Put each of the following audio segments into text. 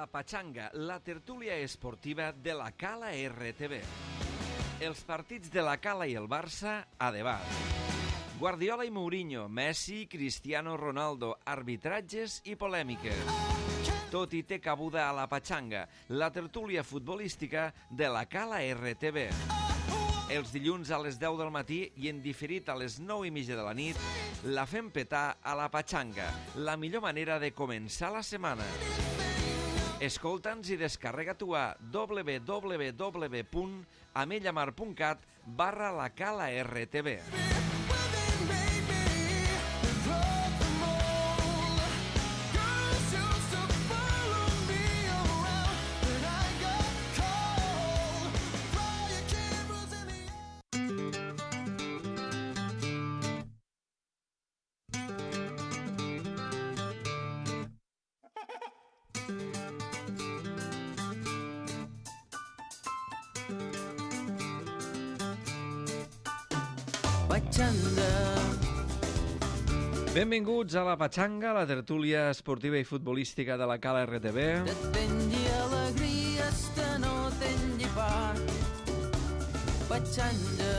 La Pachanga, la tertúlia esportiva de la Cala RTV. Els partits de la Cala i el Barça a debat. Guardiola i Mourinho, Messi, Cristiano Ronaldo, arbitratges i polèmiques. Tot hi té cabuda a La Pachanga, la tertúlia futbolística de la Cala RTV. Els dilluns a les 10 del matí i en diferit a les 9:30 de la nit, la fem petar a La Pachanga, la millor manera de començar la setmana. Escolta'ns i descarrega-t'ho a www.amellamar.cat/la Cala RTV. Benvinguts a La Pachanga, la tertúlia esportiva i futbolística de la Cala RTV. T'atengui alegries que no tingui part. Pachanga.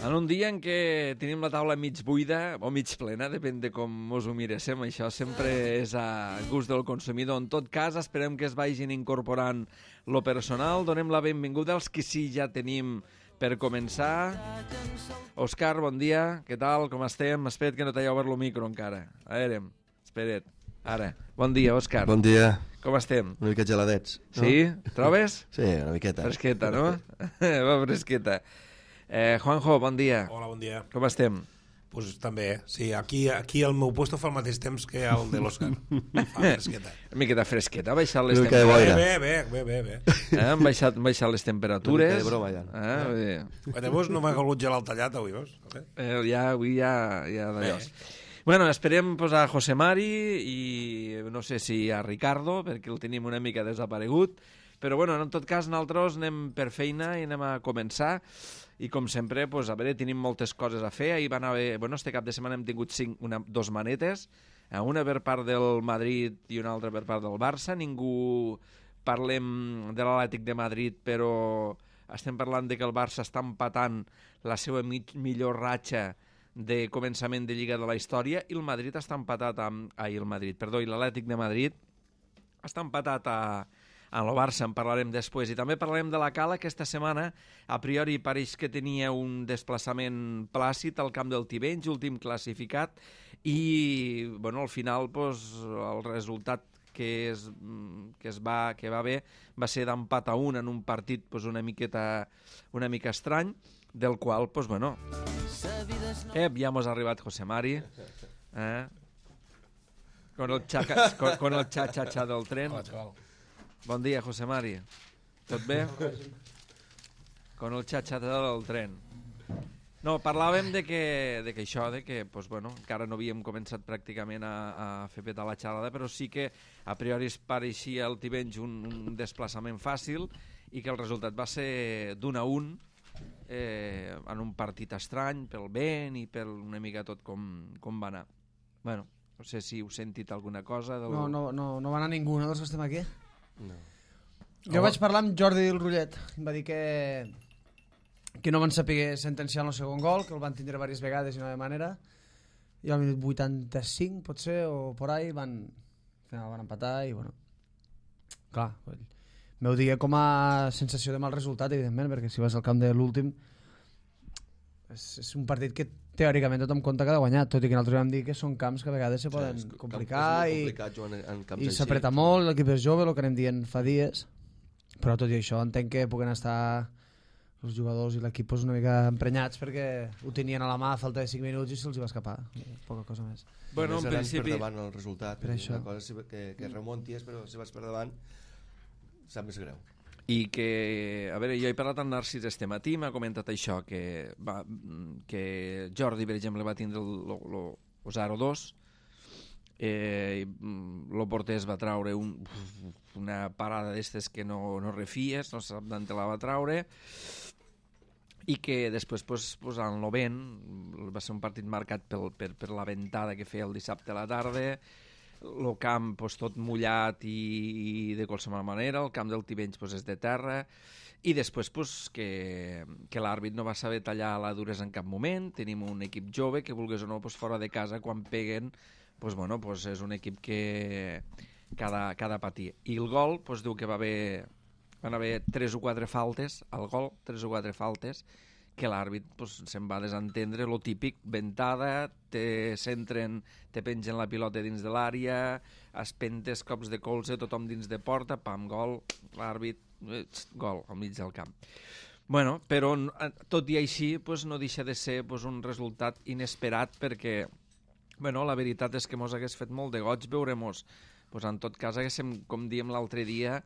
En un dia en què tenim la taula mig buida o mig plena, depèn de com us ho miréssim, això sempre és a gust del consumidor. En tot cas, esperem que es vagin incorporant lo personal. Donem la benvinguda als que sí ja tenim per començar. Òscar, bon dia, què tal, com estem? Espera't que no t'hagi obert el micro encara. A veure, espera't. Ara. Bon dia, Òscar. Bon dia. Com estem? Una mica geladets. No? Sí? Trobes? Sí, una miqueta. Fresqueta, no? Va, fresqueta. Juanjo, bon dia. Hola, bon dia. Com estem? Pues també, sí, aquí el meu puesto fa el mateix temps que el de l'Òscar. Fa fresqueta. Una miqueta fresqueta, ha baixat les Una mica de boira. Bé. Han baixat les temperatures. Una mica de broma, ja. Bé. Llavors no m'ha calgut gelar el tallat avui, veus? Avui ja d'allò. Bueno, esperem posar José Mari i no sé si a Ricardo, perquè el tenim una mica desaparegut, però bueno, en tot cas nosaltres anem per feina i anem a començar. I com sempre, pues, a veure, tenim moltes coses a fer. Ahir van haver, este cap de setmana hem tingut dos manetes, una per part del Madrid i una altra per part del Barça. Ningú parlem de l'Atlètic de Madrid, però estem parlant de que el Barça està empatant la seva millor ratxa de començament de Lliga de la història i el Madrid està empatat i l'Atlètic de Madrid està empatat en el Barça, en parlarem després. I també parlarem de la Cala, que aquesta setmana a priori pareix que tenia un desplaçament plàcid al camp del Tivenys, últim classificat, i al final el resultat que va haver va ser d'empat a 1 en un partit una mica estrany, del qual, ja mos ha arribat José Mari, con el xa-xa-xa del tren. Hola, xaval. Bon dia, José Mari. Tot bé? Con el xa-xa-xa del tren. No, parlàvem de que encara no havíem començat pràcticament a fer petar la xalada, però sí que a priori es pareixia al Tivenys un desplaçament fàcil i que el resultat va ser d'1-1 en un partit estrany pel vent i per una mica tot com va anar. Bueno, no sé si heu sentit alguna cosa. No va anar ningú, no, dels que estem aquí? No. Jo vaig parlar amb Jordi del Rullet, em va dir que no van saber sentenciar el segon gol, que el van tindre diverses vegades i no de manera, i al minut 85 potser o por ahí al final van empatar i clar, m'ho digui com a sensació de mal resultat, evidentment, perquè si vas al camp de l'últim és un partit que teòricament tothom compta que ha de guanyar, tot i que nosaltres vam dir que són camps que a vegades se poden complicar i s'apreta molt, l'equip és jove, el que anem dient fa dies, però tot i això entenc que puguen estar els jugadors i l'equip una mica emprenyats perquè ho tenien a la mà a falta de 5 minuts i se'ls va escapar, poca cosa més. Bueno, en principi... per davant el resultat, per això. una cosa que remonties, però si vas per davant sap més greu. I que, a veure, jo he parlat amb Narcís este matí, m'ha comentat això, que Jordi, per exemple, va tindre el 0-2, el porter es va traure una parada d'estes que no refies, no sap d'on te la va traure, i que després en el vent va ser un partit marcat per la ventada que feia el dissabte a la tarda, el camp pues, tot mullat i de qualsevol manera, el camp del Tivenys pues, és de terra, i després pues, que l'àrbit no va saber tallar la duresa en cap moment. Tenim un equip jove que, vulgués o no, pues, fora de casa, quan peguen, pues, bueno, pues, és un equip que ha de patir. I el gol pues, diu que van haver 3 o 4 faltes al gol, 3 o 4 faltes, que l'àrbit pues, se'n va desentendre, lo típic, ventada, te pengen la pilota dins de l'àrea, espentes, cops de colze, tothom dins de porta, pam, gol, l'àrbit, gol, al mig del camp. Bueno, però tot i així pues, no deixa de ser pues, un resultat inesperat perquè bueno, la veritat és que mos hagués fet molt de goig veure-mos. Pues, en tot cas, haguéssim, com diem l'altre dia,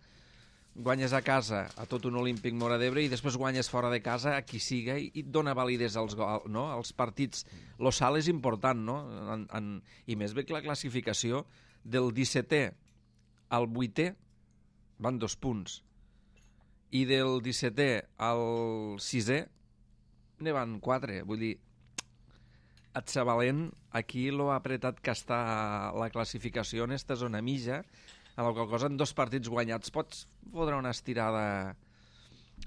guanyes a casa a tot un Olímpic Móra d'Ebre i després guanyes fora de casa a qui siga i et dona validesa als partits. Lo salt és important, no? I més bé que la classificació del 17è al 8è van 2 punts i del 17è al 6è ne van 4. Vull dir, et Sabalent aquí lo ha apretat que està la classificació en esta zona mitja, amb la qual cosa en 2 partits guanyats pots fotre una estirada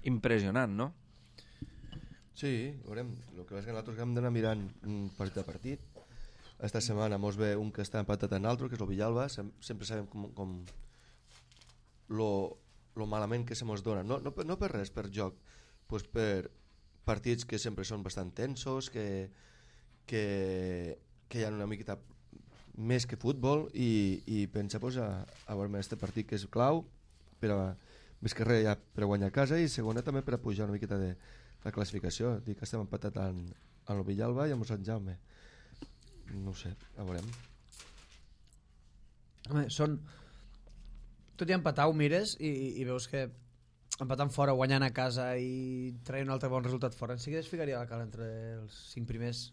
impressionant, no? Sí, veurem. El que és que nosaltres hem d'anar mirant partit a partit. Esta setmana mos ve un que està empatat en l'altre, que és el Villalba. Sempre sabem com lo malament que se mos dona. No per res, per joc, pues per partits que sempre són bastant tensos, que hi ha una miqueta més que futbol i pensa pues, a veure aquest partit que és clau més que res ja per a guanyar a casa i segona també per a pujar una miqueta de la classificació. Dic que estem empatat en el Villalba i amb el Sant Jaume. No ho sé, a veurem. Home, tot i empatar ho mires i veus que empatant fora, guanyant a casa i traient un altre bon resultat fora, en seguida es ficaria la cara entre els 5 primers.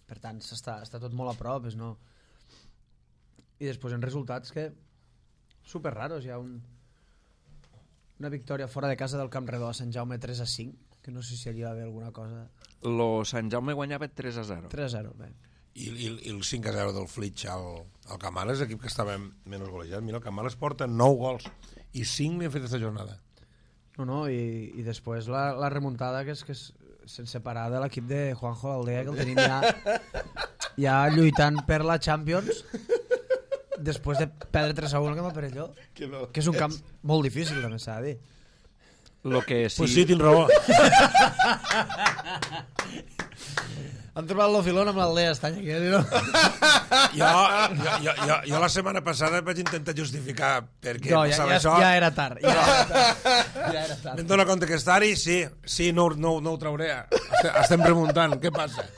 Per tant, està tot molt a prop, no? I després en resultats que super raros. Hi ha una victòria fora de casa del Camp Redó a Sant Jaume 3-5, que no sé si allà va haver alguna cosa. Lo Sant Jaume guanyava 3-0. 3-0, bé. I el 5-0 del Flitx al Camales, equip que estava menys golejat. Mira, el Camales porta 9 gols i 5 li han fet aquesta jornada. No, i després la remuntada que és sense parar de l'equip de Juanjo Aldea, que el tenim ja lluitant per la Champions després de perdre 3-1 al Camp del Perelló, que és un camp molt difícil, també s'ha de dir. Lo que sí... Pues sí, tens raó. Han trobat l'ofilón amb l'Aldea Estany aquí, no? Jo la setmana passada vaig intentar justificar perquè no, passava això. Ja era tard. Me'n dono compte que estar-hi, sí, no ho trauré. Estem remuntant, què passa?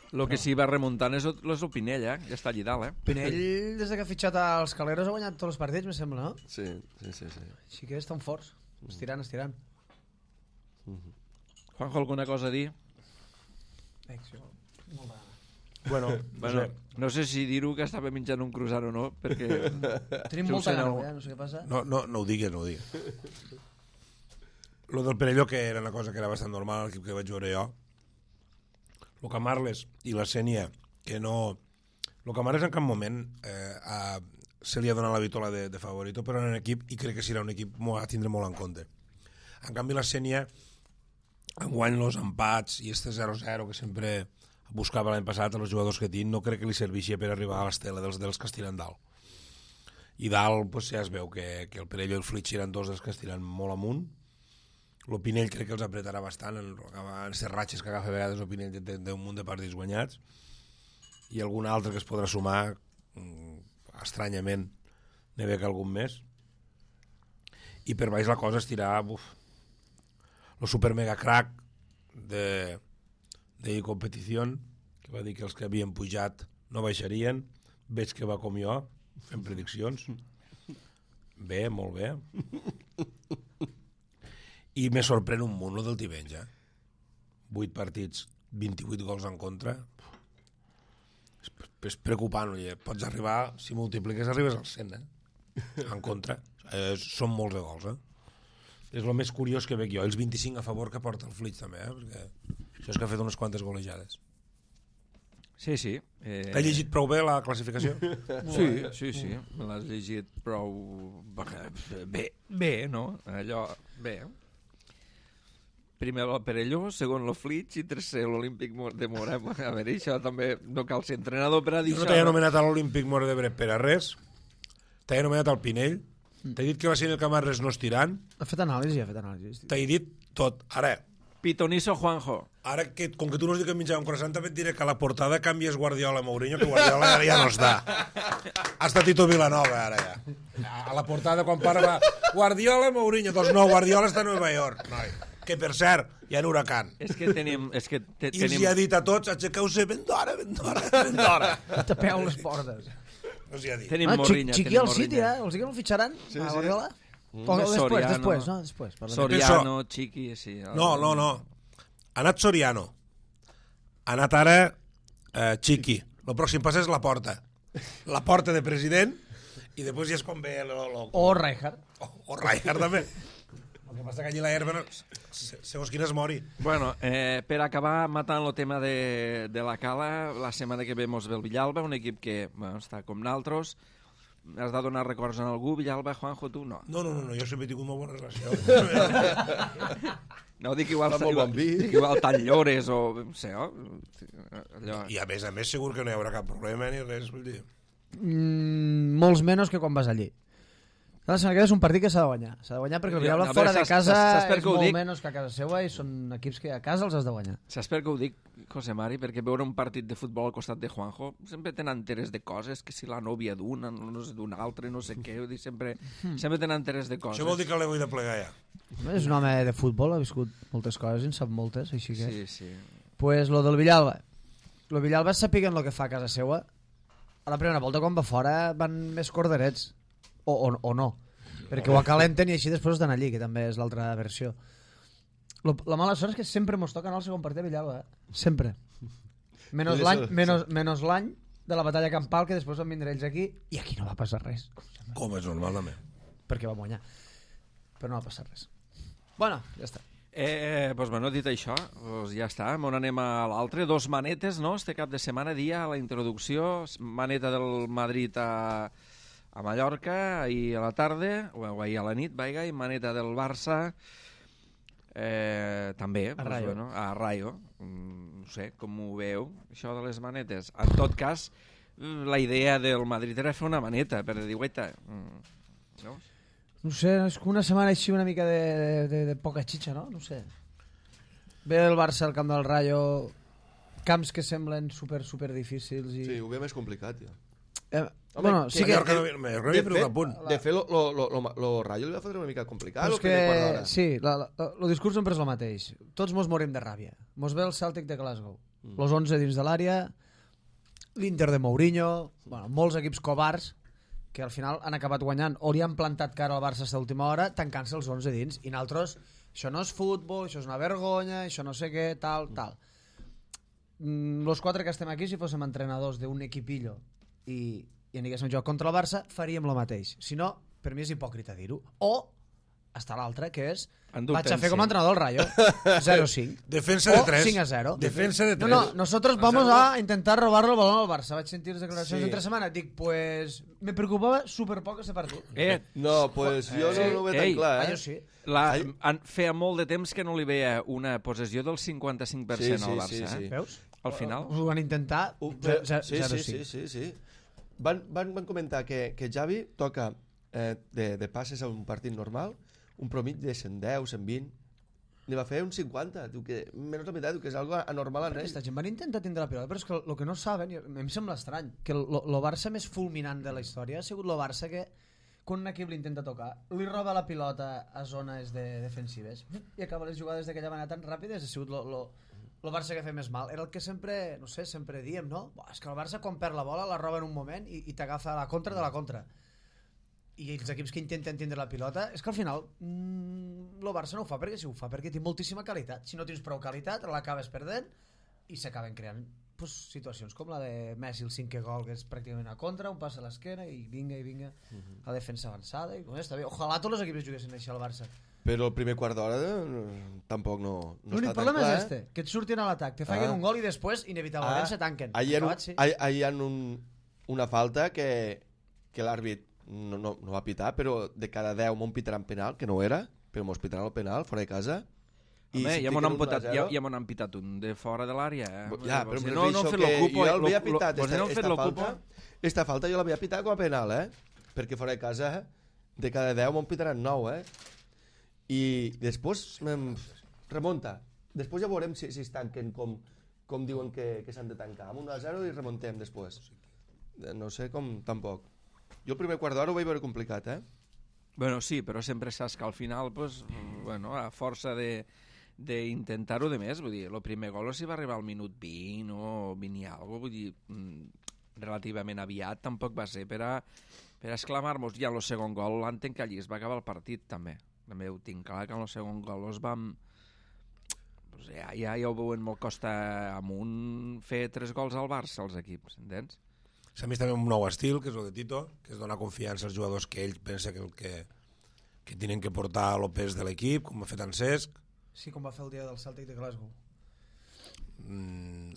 El que sí va remuntant és el Pinell, ja està allà dalt, Pinell, des que ha fitxat als Caleros, ha guanyat tots els partits, me sembla, no? Sí. Així que estan forts, estirant. Juanjo, alguna cosa a dir? Bueno, no sé si dir-ho que estava menjant un croissant o no, perquè... Tenim molta gana, no sé què passa. No ho digues. Lo del Perelló, que era una cosa que era bastant normal, l'equip que vaig veure jo. Lo Camarles i la Sénia, que no... Lo Camarles en cap moment se li ha donat la vitola de favorito, però en equip, i crec que serà un equip a tindre molt en compte. En canvi, la Sénia, enguany els empats i este 0-0 que sempre buscava l'any passat a els jugadors que tinc, no crec que li servixi per arribar a l'estela dels que estiren dalt. I dalt pues, ja es veu que el Perelló i el Flitx eren 2 dels que estiren molt amunt. El Pinell crec que els apretarà bastant en aquestes ratxes que agafa a vegades el Pinell té un munt de partits guanyats i algun altre que es podrà sumar estranyament n'hi ve que algun més i per baix la cosa estirà el super mega crack de competició que va dir que els que havien pujat no baixarien, veig que va com jo fent prediccions bé, molt bé i me sorprèn un munt del Tivenys 8 partits 28 gols en contra és preocupant pots arribar, si multipliques arribes al 100 en contra són molts de gols és el més curiós que veig jo, els 25 a favor que porta el Flitx també perquè això és que ha fet unes quantes golejades Sí. T'has llegit prou bé la classificació? Sí. Me l'has llegit prou... Bé, no? Allò, bé. Primer el Perelló, segon el Flitx i tercer l'Olímpic de Morem. A veure, això també no cal ser entrenador per a dir Jo no això. t'he anomenat a l'Olímpic Mor d'Ebre per a res. T'he anomenat al Pinell. T'he dit que la Sènia Camarres no estiran. Ha fet anàlisi. T'he dit tot. Pitoniso Juanjo. Ara, com que tu no has dit que em menjava un croissant, també et diré que a la portada canvies Guardiola a Mourinho, que Guardiola ja no està. Ha estat Tito Vilanova, ara ja. A la portada, quan va Guardiola, Mourinho, doncs no, Guardiola està a Nova York. Noi. Que, per cert, hi ha un huracan. És que tenim... I els hi ha dit a tots, aixequeu-se ben d'hora. Tapeu les portes. No s'hi ha dit. Tenim Morrinya. Xiqui al City, els que no el fitxaran? Sí. Guardiola? Després. Soriano, Chiqui, sí. No. Ha anat Soriano. Ha anat ara Chiqui. El pròxim pas és la porta. La porta de president i després ja és quan ve... O Rijkaard. O Rijkaard també. El que passa que allí la herba, segons quina es mori. Bueno, per acabar matant el tema de la Cala, la setmana que ve mos ve el Villalba, un equip que està com naltros. Has de donar records a algú, Villalba, Juanjo, tu? No. No, jo sempre he tingut una bona relació. No, dic igual tan llores o... No sé, allò... I a més segur que no hi haurà cap problema ni res, vull dir. Molts menys que quan vas allí. La setmana que ve és un partit que s'ha de guanyar. S'ha de guanyar perquè el Villalba fora de casa és molt menys que a casa seva i són equips que a casa els has de guanyar. Saps per què ho dic, José Mari? Perquè veure un partit de futbol al costat de Juanjo sempre tenen interès de coses, que si la nòvia d'una, no sé, d'una altra, no sé què, sempre tenen interès de coses. Això vol dir que l'he vull de plegar ja. És un home de futbol, ha viscut moltes coses i en sap moltes, així que... Sí. Pues lo del Villalba. Lo Villalba sàpiguen el que fa a casa seva. A la primera volta, quan va fora, van més corderets. O no, perquè ho acalenten i així després estan allí, que també és l'altra versió. La mala sort és que sempre mos toca anar al segon partit a Villalba, sempre. Menys l'any de la batalla campal, que després van vindre ells aquí, i aquí no va passar res. Com és normal, també. Perquè va guanyar. Però no va passar res. Bueno, ja està. Doncs bueno, dit això, ja està, on anem a l'altre. 2 manetes, no?, este cap de setmana, dia, a la introducció, maneta del Madrid a Mallorca, ahir a la tarda, o ahir a la nit, i maneta del Barça, també, a Rayo. Bueno, a Rayo. No sé, com ho veu, això de les manetes. En tot cas, la idea del Madrid era fer una maneta, per dir, guaita, no? No sé, és una setmana així una mica de poca xitxa, no? No sé. Ve el Barça al camp del Rayo, camps que semblen super difícils i... Sí, ho ve més complicat, ja. Bueno, sí que... De fet, lo Rayo li va fotre una mica complicat. Sí, el discurs sempre és el mateix. Tots mos morim de ràbia. Mos ve el Celtic de Glasgow. Los 11 dins de l'àrea, l'Inter de Mourinho, bueno, molts equips covards que al final han acabat guanyant o li han plantat cara al Barça a l'última hora tancant-se els 11 dins. I nosaltres, això no és futbol, això és una vergonya, això no sé què, tal. Los 4 que estem aquí, si fóssim entrenadors d'un equipillo i aniguéssim a jugar contra el Barça, faríem el mateix. Si no, per mi és hipòcrita dir-ho. O està l'altre, que és vaig a fer com a entrenador el Rayo 0-5 defensa de 3 o 5-0. Defensa de 3. No, nosotros vamos a intentar robarle el balón al Barça. Vaig sentir les declaracions entre setmana. Dic, pues me preocupava superpoc ese partit. No, pues jo no ho veig tan clar, Jo sí. Feia molt de temps que no li veia una possessió del 55% al Barça. Sí. Veus? Al final. Ho van intentar 0-5. Sí. Van comentar que Xavi toca de passes a un partit normal un promig de 110, 120. N'hi va fer un 50. Diu que, menys la meitat, diu que és algo anormal en ell. Aquesta gent van intentar tindre la pilota, però és que el que no saben, i em sembla estrany, que el Barça més fulminant de la història ha sigut el Barça que quan un equip l'intenta tocar, li roba la pilota a zones defensives i acaba les jugades d'aquella manera tan ràpides. Ha sigut el Barça que fa més mal. Era el que sempre, no sé, sempre diem, no? És que el Barça quan perd la bola la roba en un moment i t'agafa la contra de la contra. I els equips que intenten tindre la pilota, és que al final el Barça no ho fa perquè si ho fa perquè té moltíssima qualitat. Si no tens prou qualitat, l'acabes perdent i s'acaben creant situacions com la de Messi, el 5è gol, que és pràcticament a contra, un pas a l'esquena i vinga, la defensa avançada. I, està bé. Ojalà tots els equips juguessin així al Barça. Però el primer quart d'hora tampoc no L'únic està tan problema clar. és este, que et surtin a l'atac, te fallen un gol i després inevitablement se tanquen. Ahir Acabat, sí. hi ha una falta que l'àrbit no va pitar, però de cada 10 m'ho pitaran penal, que no era, però m'ho pitaran el penal, fora de casa. Home, ja m'ho han pitat un de fora de l'àrea. Ja, però si no han fet que l'ocupo, jo l'havia pitat, esta falta jo l'havia pitat com a penal, perquè fora de casa de cada 10 m'ho pitaran 9, i després remunta. Després ja veurem si es tanquen com diuen que s'han de tancar. Amb 1-0 i remuntem després. No sé com, tampoc. Jo el primer quart d'hora ho vaig veure complicat, Bueno, sí, però sempre saps que al final, pues, bueno, a força d'intentar-ho de més, vull dir, el primer gol si va arribar al minut 20 o 20 i alguna cosa, vull dir, relativament aviat, tampoc va ser per a exclamar-nos. Ja en el segon gol l'entenc que allí es va acabar el partit, també. També ho tinc clar, que en el segon gol es vam... Pues ja ho veuen molt costa amunt fer 3 gols al Barça, els equips, entens? S'ha vist també un nou estil, que és el de Tito, que és donar confiança als jugadors que ell pensa que tenen que portar el pes de l'equip, com ha fet en Cesc. Sí, com va fer el dia del Celtic de Glasgow.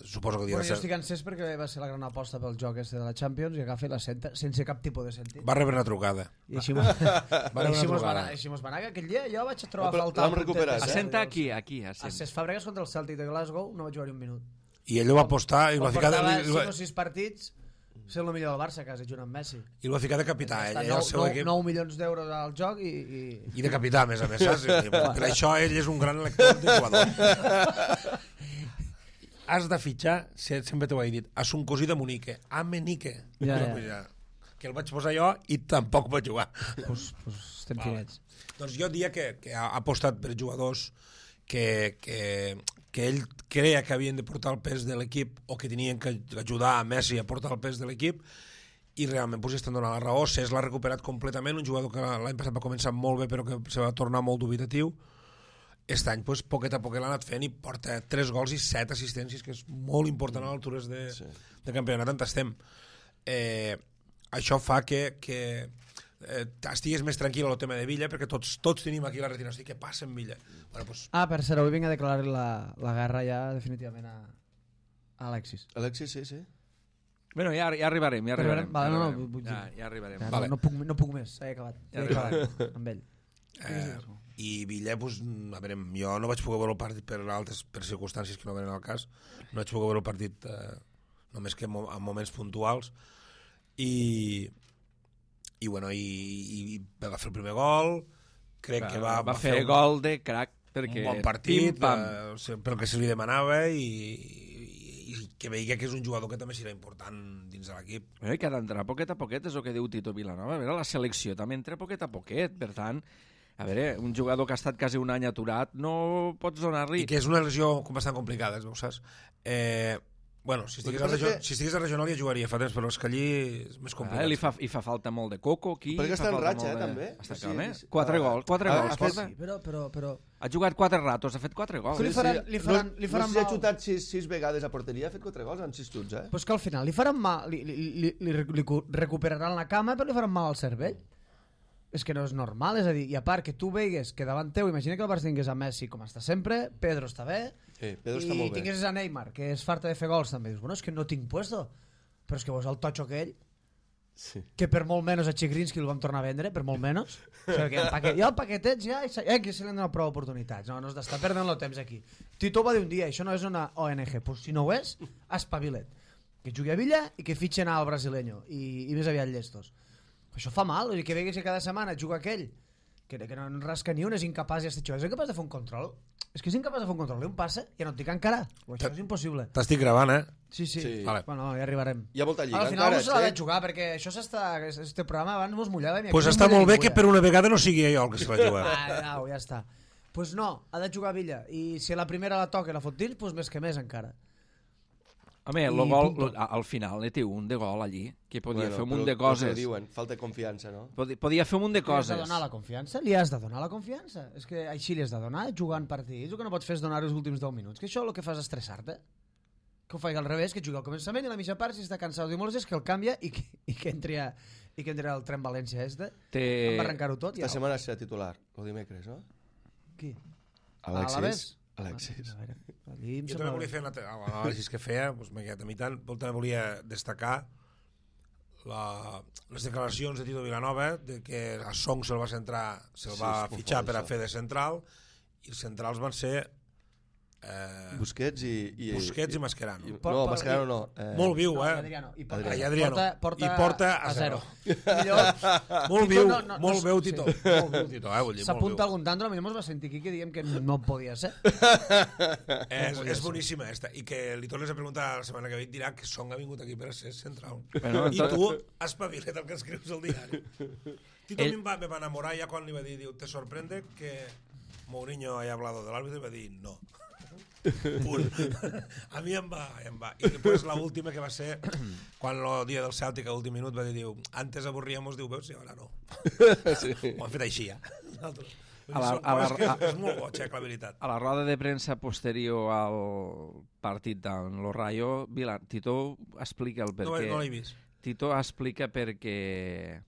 Suposo que el dia Jo estic encès perquè va ser la gran aposta pel joc este de la Champions i agafa la senta sense cap tipus de sentit. Va rebre una trucada. I així mos va anar, que aquell dia jo vaig trobar a faltar... L'hem recuperat, Assenta aquí, a Cesc Fàbregas contra el Celtic de Glasgow no vaig jugar-hi un minut. I ell ho va apostar i va ficar... Portava 5 o 6 partits, ser el millor del Barça, quasi, junt amb Messi. I el va ficar de capità, ell, el seu equip. 9 milions d'euros al joc i... I de capità, a més, saps? Per això ell és un gran lector de jugador. Has de fitxar, sempre t'ho he dit, a son cosí de Monique, a Menique. Ja. Que el vaig posar jo i tampoc vaig jugar. Pues estem finets. Doncs jo diria que ha apostat per jugadors que ell creia que havien de portar el pes de l'equip o que tenien que ajudar a Messi a portar el pes de l'equip i realment pues, estan donant la raó. Cesc l'ha recuperat completament, un jugador que l'any passat va començar molt bé però que se va tornar molt dubitatiu. Aquest any, pues, poquet a poquet l'ha anat fent i porta 3 gols i 7 assistències, que és molt important a l'altures de campionat on estem. Això fa que estigués més tranquil el tema de Villa, perquè tots tenim aquí la retina, què passa amb Villa? Bueno, pues... per cert, avui vinc a declarar la guerra ja definitivament a Alexis. Alexis, sí. Bueno, ja arribarem. Vale, ja arribarem. Vale. No puc més, s'ha acabat. Ja acabat amb ell. I Villa, pues, a veure, jo no vaig poder veure el partit per circumstàncies que no venen al cas, no vaig poder veure el partit només que en moments puntuals i bueno, i va fer el primer gol, crec que va fer gol de crac, perquè un bon partit pel que se li demanava i que veia que és un jugador que també serà important dins de l'equip. Que ha d'entrar poquet a poquet, és el que diu Tito Vilanova. A veure, la selecció també entra poquet a poquet, per tant, a veure, un jugador que ha estat quasi un any aturat no pots donar-li... I que és una lesió bastant complicada, saps? Bueno, si estigués a regional ja jugaria fa temps, però és que allí és més complicat. I fa falta molt de coco aquí. Perquè està en ratxa, també. Està calme. 4 gols. Sí, però... Ha jugat 4 ratos, ha fet 4 gols. Li faran no sé si ha xutat 6 vegades a porteria, ha fet 4 gols en 6 xuts, Pues que al final li faran mal, li recuperaran la cama, però li faran mal al cervell. És que no és normal, és a dir, i a part que tu veigues que davant teu, imagina que el Barça tingués a Messi com està sempre, Pedro està bé, Pedro està molt bé. I tingués a Neymar, que és farta de fer gols també, dius, bueno, és que no tinc puesto, però és que veus el totxo aquell, que per molt menys a Chigrinsky el vam tornar a vendre, per molt menys, o sigui, el paquetet ja, que se li han donat prou oportunitats, no has d'estar perdent el temps aquí. Tito va dir un dia, això no és una ONG, pues si no ho és, espavilet, que jugui a Villa i que fitxen al brasileño, i més aviat llestos. Això fa mal, que veguis que cada setmana juga aquell que no rasca ni un, és incapaç és incapaç de fer un control, és que és incapaç de fer un control, un passa, ja no et dic encara, això és impossible. T'estic gravant, Sí. Vale. Bueno, ja arribarem. Hi ha molta lliga al final s'ha de jugar, perquè això este programa abans mos mullava. Pues està molt bé que per una vegada no sigui jo el que se va jugar. Ja està. Pues no, ha de jugar Villa, i si la primera la toca i la fot dins, pues més que més encara. Home, el gol, al final té un de gol allí, que podia fer un munt de coses. Diuen, falta confiança, no? Podia fer un munt de coses. Li has de donar la confiança? Li has de donar la confiança. És que així li has de donar, jugant partits. El que no pots fer és donar els últims 10 minuts. Que això el que fas és estressar-te. Que ho faig al revés, que jugui al començament i a la mitja part, si està cansat de molts, és que el canvia i que entri el tren València este. Em va arrencar-ho tot. Esta setmana serà titular, el dimecres, no? Qui? Alexis. A veure, allí em Jo sembla també volia fer l'anàlisi que feia, doncs m'ha quedat a mi tant, però també volia destacar les declaracions de Tito Vilanova de que a Song se'l va fitxar per a fer de central, i els centrals van ser Busquets i Mascherano. No, Mascherano no. Molt viu, Adriano. I Adriano. porta I porta a 0. Molt viu, molt veu Tito. Molt viu Tito, vull dir, molt S'apunta viu. algun tanto, a mi mos va sentir aquí que diem que no podia ser. És boníssima esta. I que li tornes a preguntar la setmana que ve i dirà que Song ha vingut aquí per a ser central. Bueno, I tu espavila't el que escrius al diari. Tito me va enamorar ja quan li va dir, ¿te sorprende que Mourinho haya hablado del árbitro? I va dir, no. A mi em va. I després l'última que va ser quan el dia del Cèltic a l'últim minut va dir, antes avorríamos, diu, veus, i ara no. Ho han fet així, ja. És molt boig, la veritat. A la roda de premsa posterior al partit d'en Lo Rayo, Tito explica el perquè. No l'he vist. Tito explica perquè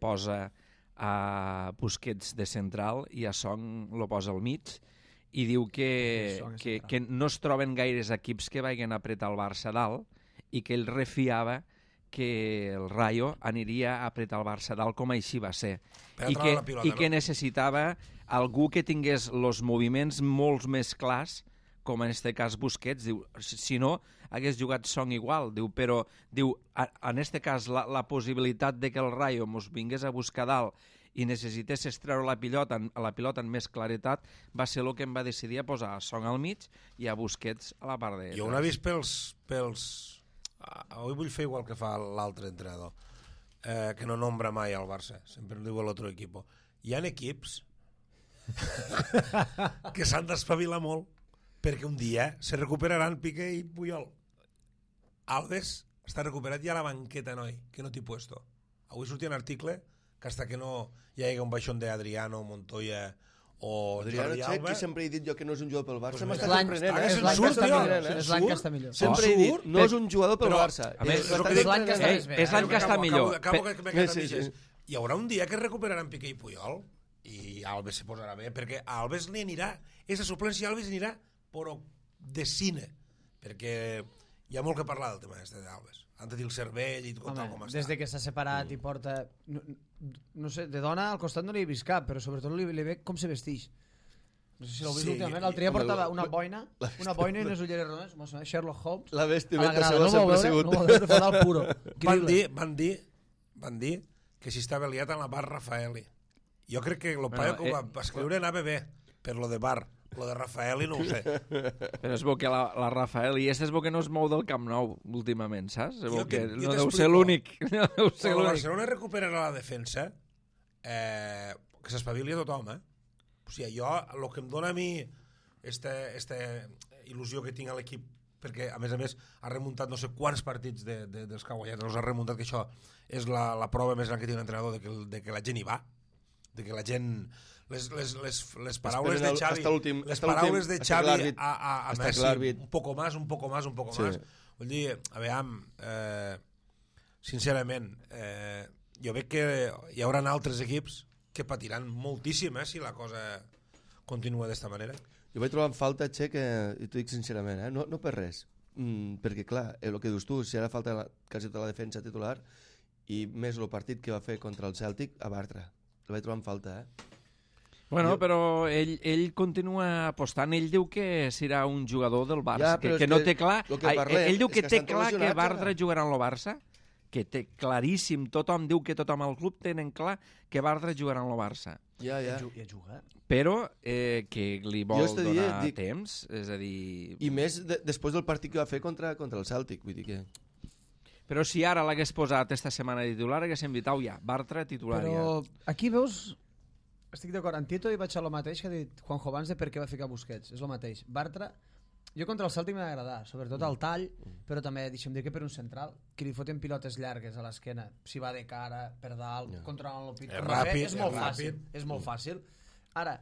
posa a Busquets de central i a Song lo posa al mig, i diu que no es troben gaires equips que vagin a apretar el Barça dalt, i que ell refiava que el Rayo aniria a apretar el Barça dalt, com així va ser, i que necessitava algú que tingués els moviments molt més clars, com en este cas Busquets. Diu, si no, hagués jugat Song igual. Diu, però diu, en este cas la possibilitat de que el Rayo mos vingués a buscar dalt i necessités extreure la pilota en més claretat, va ser el que em va decidir a posar a Song al mig i a Busquets a la part de... Jo ho he vist pels... Avui vull fer igual que fa l'altre entrenador, que no nombra mai al Barça, sempre diu l'altre equip. Hi ha equips que s'han d'espavilar molt, perquè un dia se recuperaran Piqué i Puyol. Alves està recuperat ja a la banqueta, noi, que no t'hi puesto. Avui sortia un article que hasta que no hi hagi un baixón d'Adriano, Montoya o Jordi Alba... que sempre he dit jo que no és un jugador pel Barça, Pues m'està sorprenent, És l'any que està millor. Sempre he dit, no és un jugador pel Barça. És l'any que està més bé. És l'any que està millor. Hi haurà un dia que recuperaran Piqué i Puyol i Alves se posarà bé, perquè a Alves li anirà, és a suplència, Alves anirà però de cine, perquè hi ha molt que parlar del tema d'Alves. Han de dir el cervell i tot com està. Des de que s'ha separat i porta... No sé, de dona al costat no li he vist cap, però sobretot li ve com se vestix. No sé si l'heu vist últimament. L'altre dia portava una boina i unes ulleres rodones, Sherlock Holmes. La vestimenta seva sempre ha sigut... No veure, fa el puro. Van dir que si estava liat en la bar Raffaelli. Jo crec que el paio que ho va escriure anava bé, per lo de bar. Lo de Raffaelli no ho sé. Però és bo que la Raffaelli, és bo que no es mou del Camp Nou últimament, saps? És bo que no deu ser l'únic. Quan el Barcelona recuperarà la defensa, que s'espavili a tothom, O sigui, jo, el que em dona a mi esta il·lusió que tinc a l'equip, perquè a més ha remuntat no sé quants partits dels que ha guanyat, els ha remuntat, que això és la prova més gran que té un entrenador de que la gent hi va, de que la gent... Les paraules de Xavi, les paraules de Xavi a Messi, un poco más. Vull dir, a veure, sincerament, jo veig que hi haurà altres equips que patiran moltíssim si la cosa continua d'esta manera. Jo vaig trobar en falta, Che, que, i t'ho dic sincerament, no per res, perquè clar, el que dius tu, si ara falta quasi tota la defensa titular, i més el partit que va fer contra el Cèltic a Bartra, el vaig trobar en falta, Bueno, però ell continua apostant. Ell diu que serà un jugador del Barça, que no té clar... Ell diu que té clar que Bartra jugarà en el Barça, que té claríssim, tothom diu que tothom al club tenen clar que Bartra jugarà en el Barça. Ja juga. Però que li vol donar temps, és a dir... I més després del partit que va fer contra el Cèltic, vull dir que... Però si ara l'hagués posat esta setmana de titular, haguéssim dit, Bartra titular ja. Però aquí veus... Estic d'acord, en Tito hi vaig a lo mateix que ha dit Juanjo Vans de per què va ficar Busquets, és el mateix. Bartra, jo contra el Cèltic m'ha agradar, sobretot el tall, però també deixem dir que per un central, que li foten pilotes llargues a l'esquena, si va de cara, per dalt, controlant el pit, és molt fàcil. Ara,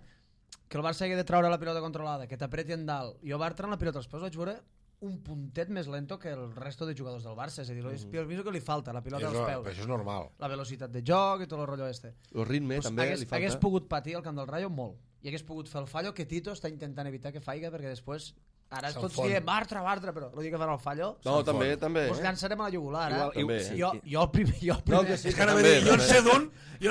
que el Barça hagi de treure la pilota controlada, que t'apreti en dalt, jo Bartra en la pilota els peus vaig veure un puntet més lento que el resto de jugadors del Barça. És a dir, és el mismo que li falta, la pilota als peus. Això és normal. La velocitat de joc i tot el rotllo este. El ritme també li falta. Hagués pogut patir al camp del Rayo molt. I hagués pogut fer el fallo que Tito està intentant evitar que faiga, perquè després... Ara tots diem Bartra, però el dia que farà el fallo... No, també. Us llançarem a la jugular, Igual, Jo el primer... No, que sí, És que ara també, jo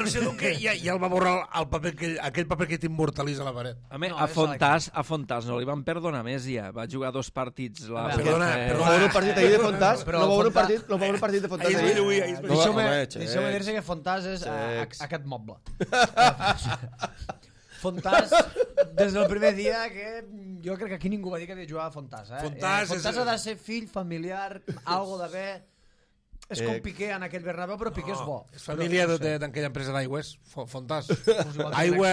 en sé d'un que ja el va borrar aquell paper que t'immortalitza a la paret. A Fontàs no li van perdonar més ja. Va jugar 2 partits. No va haver un partit ahir de Fontàs? No va haver un partit de Fontàs ahir? Deixeu-me dir-se que Fontàs és aquest moble. Fontàs, des del primer dia, que jo crec que aquí ningú va dir que havia jugat a Fontàs. Fontàs ha de ser fill, familiar, algo d'haver... És com Piqué en aquell Bernabéu, però Piqué és bo. És família d'aquella empresa d'aigües, Fontàs. Aigua...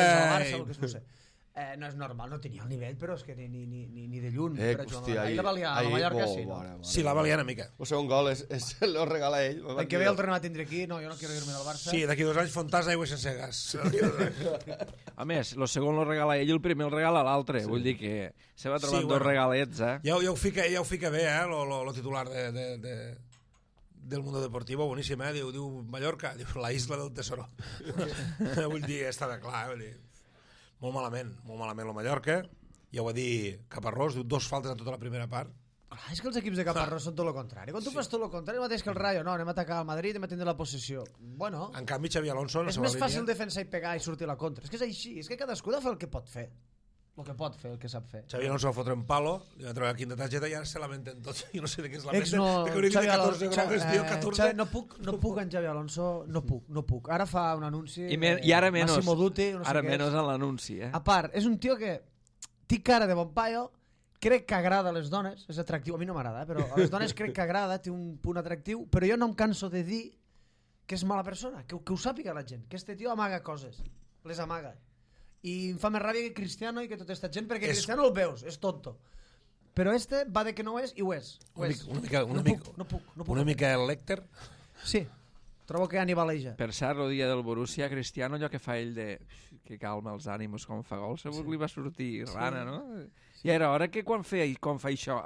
No és normal, no tenia el nivell, però és que ni de lluny. Ahir la valia a la Mallorca, sí. Sí, la valia una mica. El segon gol lo regala ell. L'any que ve el tornem a tindre aquí, no, jo no quiero irme del Barça. Sí, d'aquí 2 anys Fontàs, aigua sense gas. A més, el segon lo regala ell i el primer el regala l'altre. Vull dir que se va trobant 2 regalets, Ja ho fica bé, lo titular del Mundo Deportivo, boníssim, diu Mallorca, diu la isla del tesoro. Vull dir, està de clar, vull dir... Molt malament el Mallorca. Ja ho va dir Caparrós, diu 2 faltes en tota la primera part. Clar, és que els equips de Caparrós són tot el contrari. Quan tu fas tot el contrari, el mateix que el Rayo, no, anem a atacar al Madrid i anem a tindre la possessió. Bueno, en canvi, Xavi Alonso... És més fàcil defensar i pegar i sortir a la contra. És que és així, és que cadascú ha de fer el que pot fer. El que pot fer, el que sap fer. Xavi Alonso va fotre un palo, li va treure la quinta targeta i ara se lamenten tots. Jo no sé de què es lamenten. No puc en Xavi Alonso, no puc. Ara fa un anunci... I ara menys. Massimo Dutti, no sé ara menys en l'anunci, A part, és un tio que té cara de bon paio, crec que agrada a les dones, és atractiu, a mi no m'agrada, però a les dones crec que agrada, té un punt atractiu, però jo no em canso de dir que és mala persona, que ho sàpiga la gent, que este tio amaga coses, les amaga. I em fa més ràbia que Cristiano i que tota aquesta gent, perquè Cristiano el veus, és tonto. Però este va de que no ho és i ho és. Una mica el Lecter. Sí, trobo que anivaleja. Per cert, el dia del Borussia, Cristiano, allò que fa ell de... que calma els ànims quan fa gol, segur que li va sortir rana, no? I era hora que quan fa això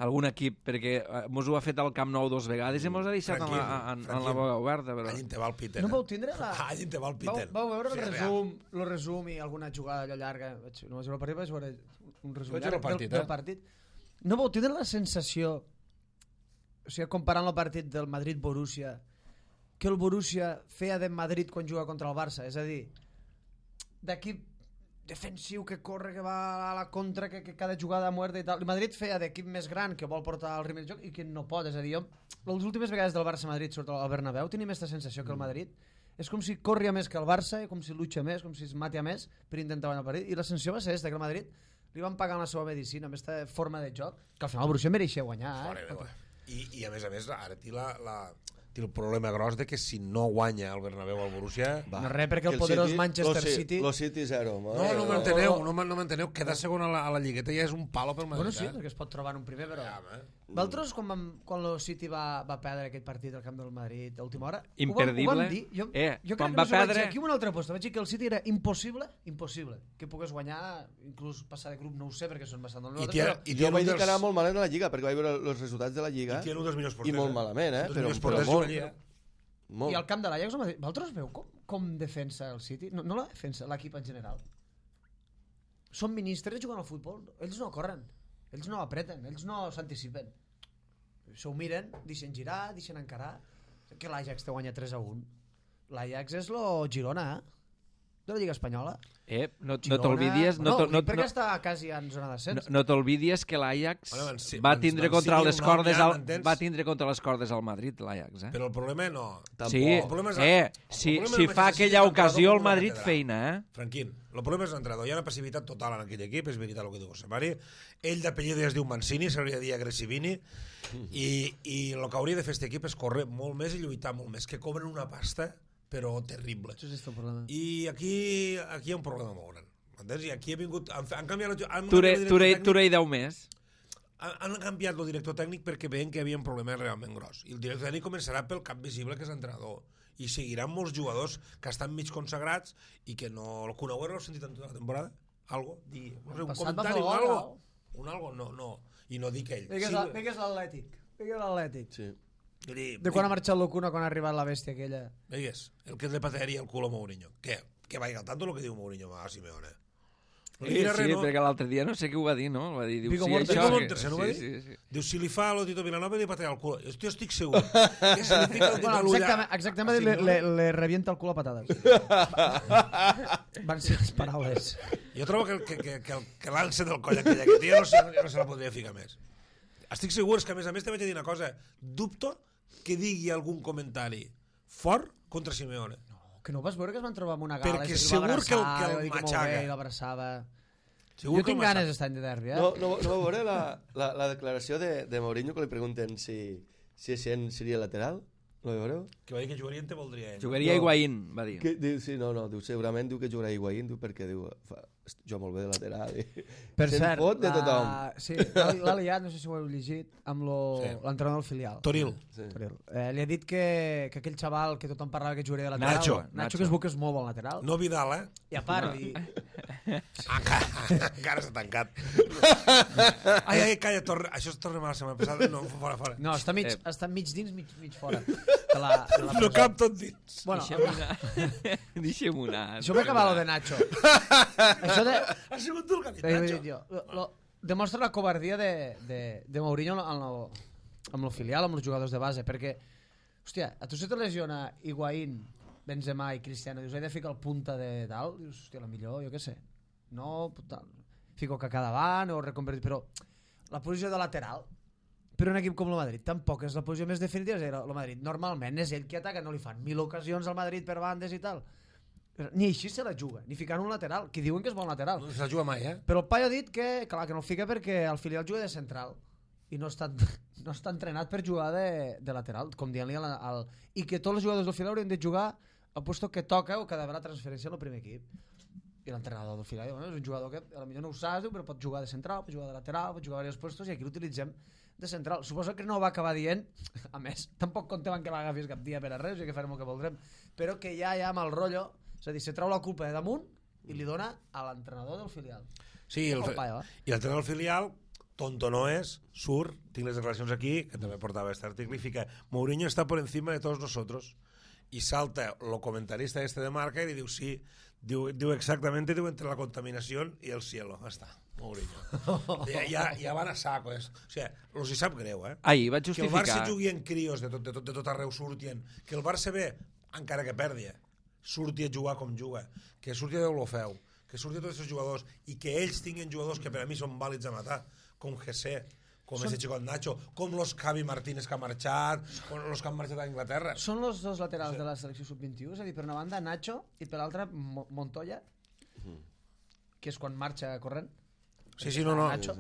algun equip, perquè mos ho ha fet al Camp Nou 2 vegades i mos ha deixat en la boca oberta. Però... Allí te va el Peter. No vau tindre la... Allí te va el Peter. Vau veure el resum i alguna jugada allò llarga. No vaig veure el partit, vaig veure un resum llarg del partit. No vau tindre la sensació, o sigui, comparant el partit del Madrid-Borussia, que el Borussia feia de Madrid quan juga contra el Barça? És a dir, d'equip defensiu que corre, que va a la contra, que cada jugada muerta i tal. El Madrid feia d'equip més gran que vol portar el ritme de joc i que no pot. És a dir, jo, les últimes vegades del Barça-Madrid surt al Bernabéu tenim aquesta sensació que el Madrid és com si corria més que el Barça, com si lucha més, com si es matia més per intentar guanyar el partit. I la sensació va ser que el Madrid li van pagar la seva medicina amb aquesta forma de joc, que al final el Borussia mereixia guanyar. I a més, ara té el problema gros de que si no guanya el Bernabéu al Borussia... No res, perquè el poderós Manchester City... Lo City 0. No m'enteneu. Quedar segon a la lligueta ja és un palo pel Madrid. Bueno, sí, perquè es pot trobar en un primer, però... Vosaltres, quan el City va perdre aquest partit al camp del Madrid a última hora, imperdible. Ho vam dir? Jo crec que no vaig dir aquí una altra aposta. Vaig dir que el City era impossible que pogués guanyar, inclús passar de grup, no ho sé, perquè són bastant del nosaltres. I jo vaig dir que anava molt malament a la Lliga, perquè vaig veure els resultats de la Lliga i molt malament, però molt. I al camp de l'Ajax, vosaltres veu com defensa el City? No la defensa, l'equip en general. Són ministres jugant al futbol, ells no corren, ells no apreten, ells no s'anticipen. S'ho miren, deixen girar, deixen encarar. Que l'Ajax te guanya 3-1. L'Ajax és lo Girona, de la Lliga Espanyola. No t'olvidies... perquè està quasi en zona d'ascens. No t'olvidies que l'Ajax va tindre contra les cordes al Madrid, l'Ajax. Però el problema no. Sí, si fa aquella ocasió el Madrid feina, Franquín, el problema és l'entrenador. Hi ha una passivitat total en aquell equip, és veritat el que diu José Mari. Ell d'apellido es diu Mancini, s'hauria de dir Aggressivini, i el que hauria de fer aquest equip és córrer molt més i lluitar molt més, que cobren una pasta però terrible. I aquí hi ha un problema molt gran. Entens? I aquí ha vingut... Han canviat... Turei 10 més. Han canviat el director tècnic perquè veien que hi havia un problema realment gros. I el director tècnic començarà pel cap visible, que és l'entrenador. I seguiran molts jugadors que estan mig consagrats i que no... El Kun Agüero l'heu sentit en tota la temporada? Algo? No sé, un comentari o algo? Un algo? No. i no dic ell. Digues l'Atlètic. Digues l'Atlètic. Sí. De quan ha marxat l'Ocuna, quan ha arribat la bèstia aquella. Veigues, el que le patearia el cul a Mourinho. Que vaya al tanto lo que diu Mourinho a Simeone. Sí, perquè l'altre dia no sé què ho va dir, no? Va dir, diu, Vigo sí, Mortensen. això... Vigo Mortensen, no va dir? Sí. Diu, si li fa a lo Tito Vilanova li patea el cul. Jo estic segur que si li fica el dit a l'ulla... Exactament, le revienta el cul a patades. Van ser les paraules. Jo trobo que l'alça del coll aquella que té, no se la podria ficar més. Estic segur que, a més també vaig dir una cosa. Dubto que digui algun comentari fort contra Simeone. Que no vas veure que es van trobar amb una gala? Perquè segur que el matxaca. I l'abraçava. Segur Jo tinc ganes d'estar en de derbi, eh? No va veure la declaració de Mourinho que li pregunten si Essien seria lateral? No va veure? Que va dir que jugaria en te voldria ell. Jugaria Higuaín, va dir. Diu, sí, no, diu, segurament diu que jugarà Higuaín, diu, perquè diu, jo molt bé de lateral. Per cert, fot de tothom. Sí, l'ha liat, no sé si ho heu llegit, amb l'entrenador del filial. Toril. Sí. Li ha dit que aquell xaval que tothom parlava que jugaria de lateral... Nacho, que es veu que és molt bon lateral. No Vidal, eh? I a part... Encara s'ha tancat. Ai, calla, això es torna mal la setmana passada. No, fora. No, està mig dins, mig fora. No cap tot dins. Bueno, Deixem-ho anar. això m'ha acabat lo de Nacho. Això de... Ha sigut tu el que ha dit, Nacho. Demostra la covardia de Mourinho amb el filial, amb els jugadors de base, perquè, hòstia, a tu se te lesiona Higuaín, Benzema i Cristiano, dius, he de ficar el punta de tal, dius, hòstia, la millor, jo què sé, no, tal, fico Kaká davant o reconvertir, però la posició de lateral, per un equip com el Madrid, tampoc és la posició més definitiva, és el Madrid, normalment és ell qui ataca, no li fan 1000 ocasions al Madrid per bandes i tal, ni així se la juga, ni ficant un lateral, que diuen que és bon lateral. No se la juga mai, eh? Però el paio ha dit que no el fica perquè el filial juga de central i no està entrenat per jugar de lateral, com dient-li i que tots els jugadors del filial haurien de jugar al puesto que toca o que ha d'haver la transferència al primer equip. I l'entrenador del filial és un jugador que potser no ho saps, però pot jugar de central, pot jugar de lateral, pot jugar a diversos puestos i aquí l'utilitzem de central. Suposo que no ho va acabar dient, a més, tampoc comptem que l'agafis cap dia per a res, i que farem el que voldrem, però que ja amb el rotllo, és a dir, se trau la culpa de damunt i li dona a l'entrenador del filial. Sí, i l'entrenador del filial, tonto no és, surt, tinc les declaracions aquí, que també portava este article, i fica, Mourinho està por encima de todos nosotros. I salta el comentarista de Marca i diu, sí, diu exactament, diu, entre la contaminació i el cielo. Està, Mourinho. Ja van a saco. O sigui, els hi sap greu, eh? Ahir vaig justificar... Que el Barça jugui en crios de tot arreu surtien, que el Barça ve, encara que perdi, surti a jugar com juga, que surti a Deulofeu, que surti a tots els jugadors i que ells tinguin jugadors que per a mi són vàlids a matar, com José, com ese xicot Nacho, com los Javi Martínez que ha marxat, com los que han marxat a Inglaterra. Són els dos laterals de la selecció sub-21, és a dir, per una banda Nacho i per l'altra Montoya, que és quan marxa corrent. Sí, no. Nacho.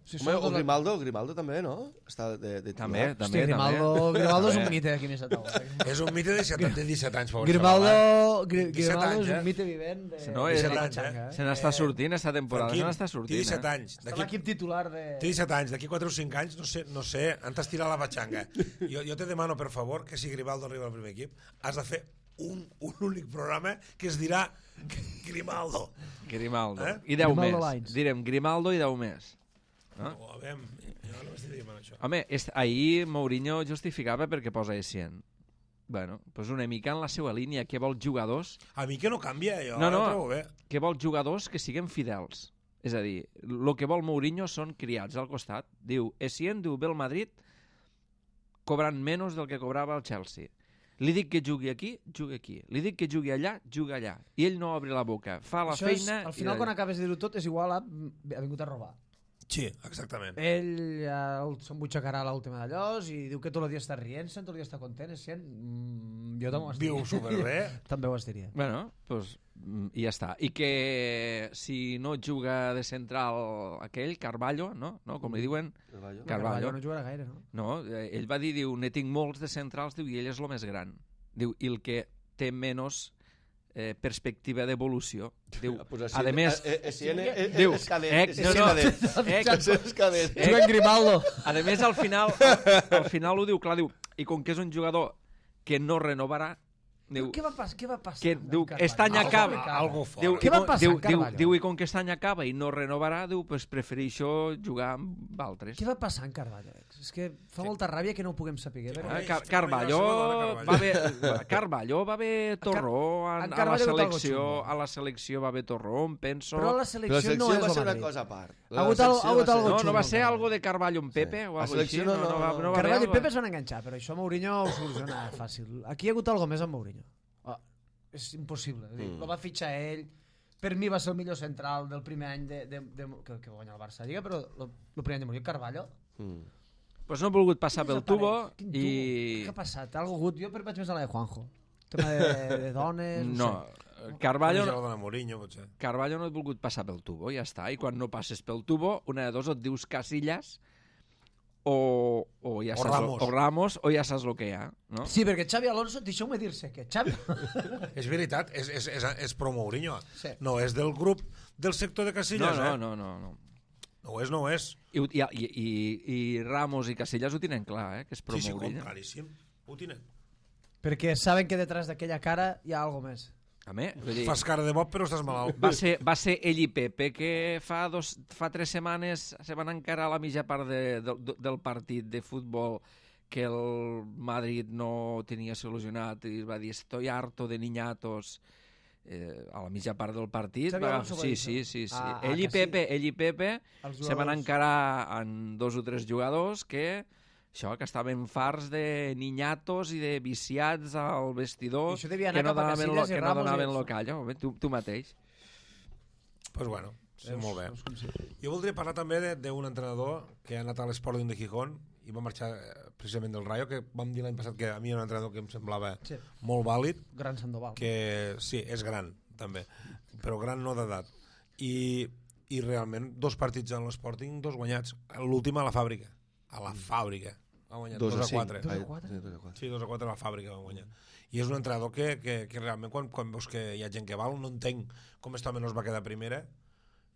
Sí, o Grimaldo també, no? Està de també. Hòstia, Grimaldo és un mite aquí més a taula. És un mite de 17 anys. Grimaldo és un mite vivent de 17 anys, Se n'està sortint esta temporada, se n'està sortint. Té 17 anys. Està l'equip titular de... Té 17 anys, d'aquí 4 o 5 anys, no sé, han d'estirar la batxanga. Jo te demano, per favor, que si Grimaldo arriba al primer equip, has de fer un únic programa que es dirà Grimaldo. I 10 més. Direm Grimaldo i 10 més. No, a veure, jo no m'estic dient això. Home, ahir Mourinho justificava perquè posa Essien. Bueno, pues una mica en la seva línia, que vol jugadors... A mi que no canvia, jo no, trobo bé. Que vol jugadors que siguin fidels. És a dir, el que vol Mourinho són criats al costat. Diu, Essien, diu, ve el Madrid cobrant menys del que cobrava el Chelsea. Li dic que jugui aquí, jugui aquí. Li dic que jugui allà, jugui allà. I ell no obre la boca, fa la feina... Al final, quan acabes de dir-ho tot, és igual a... ha vingut a robar. Sí, exactament. Ell s'embutxacarà a l'última d'allòs i diu que tot el dia està rient-se, tot el dia està content, jo també ho estiria. Viu superbé. També ho estiria. Bueno, pues, i ja està. I que si no juga de central aquell, Carvalho, no? Com li diuen? Carvalho no jugarà gaire, no? No, ell va dir, diu, ne tinc molts de centrals, diu, i ell és el més gran. Diu, i el que té menys perspectiva d'evolució. Diu, a més... Diu, Grimaldo. A més, al final ho diu, clar, diu, i com que és un jugador que no renovarà, Diu, Què va passar? que diu, aquest any acaba. Algo fort. Diu, Què va passar amb Carvalho? Diu, i com que aquest any acaba i no renovarà, diu, pues prefereixo jugar amb altres. Què va passar amb Carvalho? És que fa molta ràbia que no ho puguem saber. Carvalho va haver torró a la selecció va haver torró, em penso. Però la Però la selecció selecció no és va ser el una Madrid. cosa a part. Ha hagut algo No xungo, va ser encara. algo de Carvalho amb Pepe o La algo així? selecció no va haver Carvalho i algo? Pepe es van enganxar, però això Mourinho ho soluciona fàcil. Aquí hi ha hagut alguna més amb Mourinho. És impossible. Lo va fitxar ell. Per mi va ser el millor central del primer any que va guanyar el Barça Lliga, però el primer any de Mourinho, Carvalho. Pues no ha volgut passar pel tubo Quin i... Què ha passat? Algo gut? Jo vaig més a la de Juanjo. Tema de dones... No, sé. Carvalho de Mourinho, potser. no ha volgut passar pel tubo, ja està. I quan no passes pel tubo, una de dos, et dius Casillas o ja saps Ramos. o Ramos o ja saps el que hi ha, no? Sí, perquè Xavi Alonso, deixeu-me dir-se que Xavi... És veritat, és pro Mourinho. Sí. No és del grup del sector de Casillas, No. No ho és. I Ramos i Casillas ho tenen clar, que és pro Sí, Mourinho. claríssim. Ho tenen. perquè saben que detrás d'aquella cara hi ha algo més. A més, vull dir, Fas cara de bob, però estàs malalt. va ser ell i Pepe que fa 3 setmanes se van encarar a la mitja part del partit de futbol que el Madrid no tenia solucionat i va dir estoy harto de niñatos a la mitja part del partit. Xavi Alonso va dir Sí. això? Ell i Pepe Els se van jugadors. encarar en 2 o 3 jugadors que estaven farts de niñatos i de viciats al vestidor I això devia que anar no cap a donaven Casillas i que no Ramos i donaven això. lo callo. Tu mateix. Pues bueno, sí, molt bé. Jo voldria parlar també d'un entrenador que ha anat a l'Sporting de Gijón i va marxar precisament del Rayo, que vam dir l'any passat que a mi era un entrenador que em semblava Sí. molt vàlid, Gran Sandoval. que sí, és gran també, però gran no d'edat, i realment 2 partits en l'Sporting, 2 guanyats, l'últim a la fàbrica va guanyar 2-4. 2-4? Sí, 2-4 a la fàbrica van guanyar. I és un entrenador que realment quan veus que hi ha gent que val, no entenc com este home no es va quedar a primera.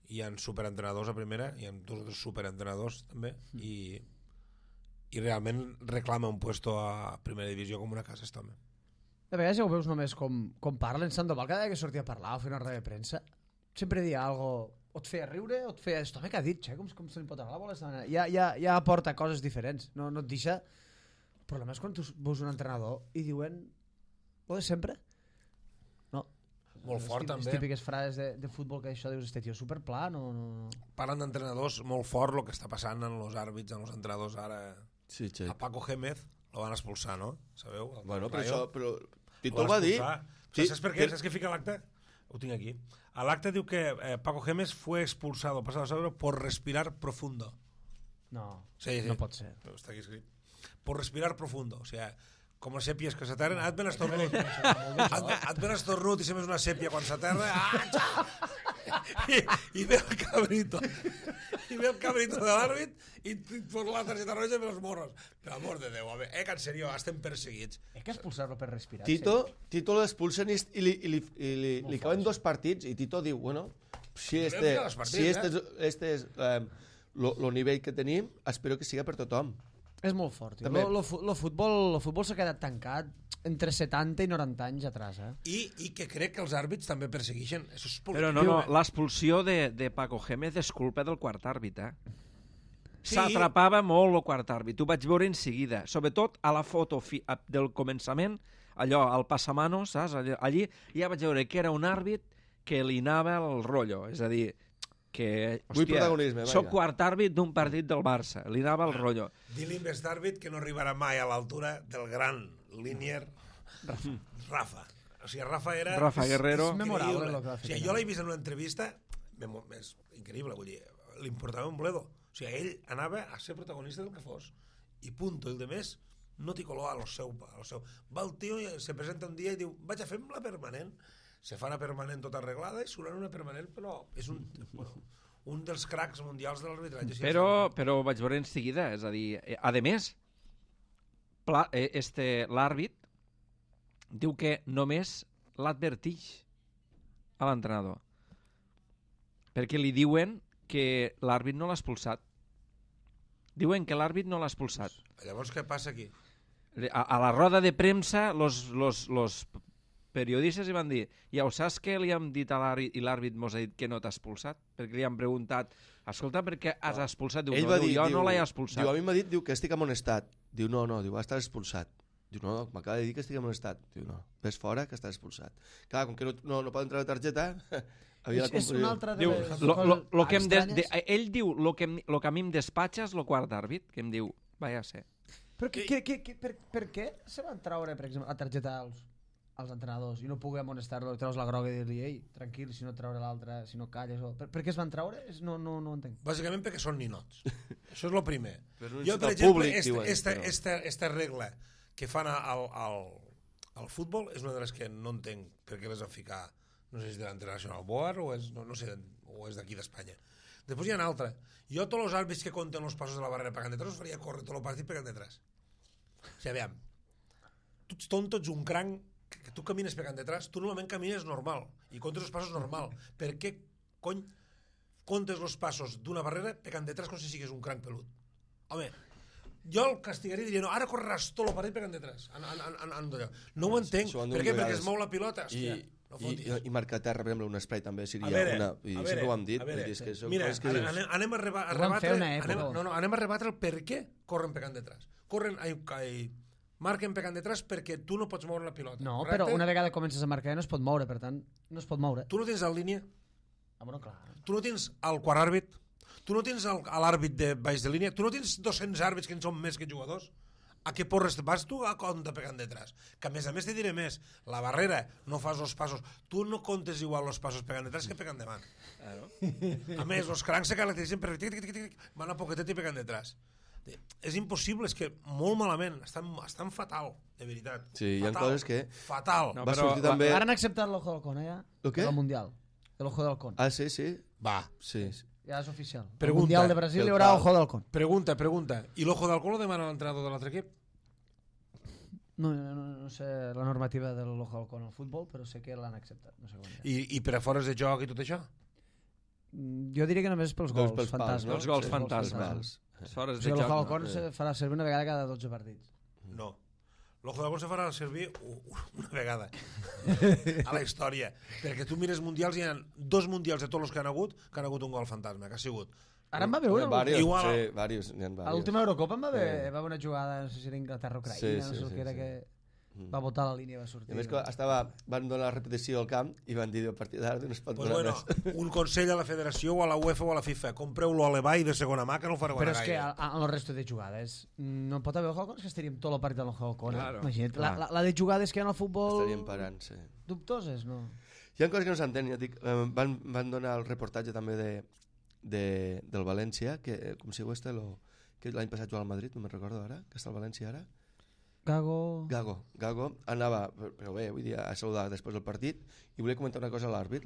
Hi ha superentrenadors a primera, hi ha 2 o 3 superentrenadors també, i realment reclama un puesto a primera divisió com una casa este home. De vegades ja ho veus només com parlen Sandoval, cada vegada que sortia a parlar o fer una roda de premsa, sempre dia algo, o et feia riure o et feia... Esto home que ha dit, com se li pot anar la bola? Ja aporta coses diferents, no et deixa... El problema és quan tu veus un entrenador i diuen lo de sempre. No. Molt fort, també. Les típiques frases de futbol que això dius, este tio superpla, no... Parlen d'entrenadors molt fort, el que està passant en els àrbits, en els entrenadors ara. Sí, A Paco Gémez lo van expulsar, no? Sabeu? Bueno, però això... Però... Lo Tito van va dir... expulsar. ¿Sabes por qué? ¿Sabes qué fica el acta? Lo tengo aquí. Al acta diu que Paco Gémez fue expulsado pasado sábado por respirar profundo. No, Sí. no pot ser. Está aquí escrito. Por respirar profundo. O sea, com les sèpies que s'aterren, et ven estornut. Et ven estornut i sempre és una sèpia quan s'aterra. I ve el cabrito. I ve el cabrito de l'àrbit i fot la targeta roja i els morros. Per amor de Déu, que en sèrio, estem perseguits. Hay que expulsar-lo per respirar. Tito l'expulsen i li caben 2 partits i Tito diu, bueno, si este és el nivell que tenim, espero que siga per tothom. És molt fort. També. El futbol s'ha quedat tancat entre 70 i 90 anys atrás. I que crec que els àrbits també persegueixen. Això és Però no, l'expulsió de Paco Gémez és culpa del quart àrbit, Sí. S'atrapava molt el quart àrbit, ho vaig veure en seguida, sobretot a la foto del començament, allò, al passamanos, saps? Allí ja vaig veure que era un àrbit que li anava el rotllo, és a dir, que, Vull protagonisme, soc vaja. quart àrbit d'un partit del Barça, li anava el rotllo. Dir-li més d'àrbit que no arribarà mai a l'altura del gran línier Rafa. O sigui, Rafa era... Rafa Guerrero. És memorable increïble. el que va fer. O sigui, jo l'he vist en una entrevista, és increïble, vull dir, li importava un bledo. O sigui, ell anava a ser protagonista del que fos. I punto, el de més no té color a lo seu. Va el tio i se presenta un dia i diu, vaig a fer-me la permanent. Se fa una permanent tota arreglada i surt una permanent, però és un dels cracs mundials de l'arbitratge. Però ho vaig veure en seguida, és a dir, a més, l'àrbit diu que només l'adverteix a l'entrenador. Perquè li diuen que l'àrbit no l'ha expulsat. Diuen que l'àrbit no l'ha expulsat. Llavors, què passa aquí? A la roda de premsa, los periodistes i van dir, ja ho saps que li hem dit a l'àrbit i l'àrbit mos ha dit que no t'ha expulsat? Perquè li han preguntat, escolta, per què has expulsat? Diu, Ell no, va dir, jo no l'he expulsat. Diu, a mi m'ha dit, diu, que estic amonestat. Diu, no, diu, estàs expulsat. Diu, no, m'acaba de dir que estic amonestat. Diu, no, ves fora que estàs expulsat. Clar, com que no poden treure targeta, havia la És una altra de Diu, les lo que estranyes. ell diu, lo que a mi em despatxa és lo quart d'àrbit, que em diu, vaya a ser. Però per què se van treure, per exemple, la targeta als entrenadors i no poder amonestar-lo, treus la groga i dir-li, ei, tranquil, si no treure l'altra, si no calles... Per què es van treure? No entenc. Bàsicament perquè són ninots. Això és el primer. Però no Jo, per necessita exemple, públic, diuen, esta regla que fan al futbol és una de les que no entenc per què les van ficar, no sé si és de l'International Board o és, no sé, o és d'aquí d'Espanya. Després hi ha una altra. Jo tots els àrbits que compten els passos de la barrera pegant detrás us faria córrer tot el partit pegant detrás. O sigui, aviam, tu ets tonto, ets un cranc, que tu camines pegant detrás, tu normalment camines normal i comptes els passos normal. Per què cony comptes els passos d'una barrera pegant detrás com si sigués un cranc pelut? Home, jo el castigaria i diria, no, ara correràs tot el partit pegant detrás. No ho entenc. Per què? Perquè es mou la pilota. Hòstia, no fotis. I marcar a terra, per exemple, un spray també seria a una... sempre ho hem dit. Mira, anem a rebatre el per què corren pegant detrás. Marquen pegant detrás perquè tu no pots moure la pilota. No, correcte? però una vegada comences a marcar no es pot moure, per tant, no es pot moure. Tu no tens la línia, Bueno, clar. tu no tens el quart àrbit, tu no tens l'àrbit de baix de línia, tu no tens 200 àrbits que en són més que jugadors. A què porres vas tu a compte pegant detrás? Que a més te diré més, la barrera no fas els passos, tu no comptes igual els passos pegant detrás que pegant davant. A més, els crancs se caracteritzen per van a poquetet i pegant detrás. És impossible, és que molt malament, estan fatal, de veritat. Sí, hi ha coses que... Fatal. No, Va però sortir també... Ara han acceptat l'Ojo del Con, ja? Lo què? El Mundial. L'Ojo del Con. Ah, sí? Va. Sí. Ja és oficial. Pregunta. El Mundial de Brasil hi haurà Ojo del Con. Pregunta. I l'ojo d'alcohol lo demana l'entrenador de l'altre equip? No sé la normativa de l'Ojo del Con al futbol, però sé que l'han acceptat. No sé com I per a fores de joc i tot això? Jo diria que només pels gols pels pals, fantasma. no? Els gols Sí, fantasma. pals. Les hores O de sigui, l'Ojo del joc. Con se farà servir una vegada cada 12 partits. No. L'ojo d'alcohol se farà servir una vegada a la història. Perquè tu mires mundials, hi ha 2 mundials de tots els que han hagut un gol fantasma, que ha sigut... Ara em va veure. Varios, Igual. sí, varios, n'hi ha A varios. l'última Eurocopa em va haver una jugada, no sé si era Inglaterra-Ucraïna, Sí, no sé el que era, sí. que va votar la línia i va sortir. I a més que van donar la repetició al camp i van dir a partir d'ara no es pot Pues donar bueno, més. un consell a la federació o a la UEFA o a la FIFA, compreu-lo a l'Ebay de segona mà, que no ho fareu Però ara és que gaire. en el resto de jugades no pot haver Ojo, és que estaríem tot el partit amb el Ojo. Claro, Imagina't, clar. la de jugades que hi ha en el futbol Estaríem parant, sí. dubtoses, no? Hi ha coses que no s'entenen, ja dic, van donar el reportatge també del València, que com si ho este que l'any passat jugava al Madrid, no me'n recordo ara, que està al València ara. Gago anava, però bé, vull dir, a saludar després del partit i volia comentar una cosa a l'àrbit,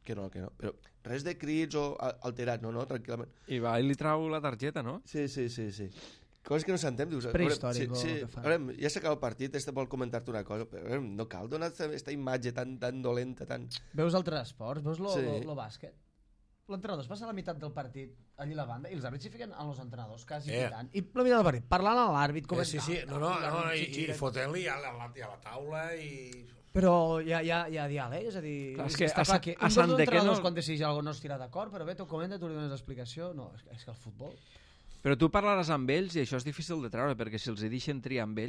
que no, però res de crits o alterats, no, tranquil·lament. I va i li trau la targeta, no? Sí. Coses que no s'entén, dius... Prehistòric, sí, el que fa. veurem, ja s'acaba el partit, vol comentar-te una cosa, però veurem, no cal donar aquesta imatge tan dolenta, tan... Veus altres esports, veus lo Sí. bàsquet? L'entrenador es passa la meitat del partit allí a la banda i els àrbits s'hi fiquen amb els entrenadors, quasi pitant. I la meitat del partit, parlant amb l'àrbit, Sí, i fotent-li a la taula i... Però hi ha diàleg, és a dir... Clar, és que està clar que a un Sant dels de què entrenadors no- quan decideix alguna cosa no estirà d'acord, però bé, t'ho comenta, tu li dones l'explicació... No, és que el futbol... Però tu parlaràs amb ells i això és difícil de treure, perquè si els hi deixen triar amb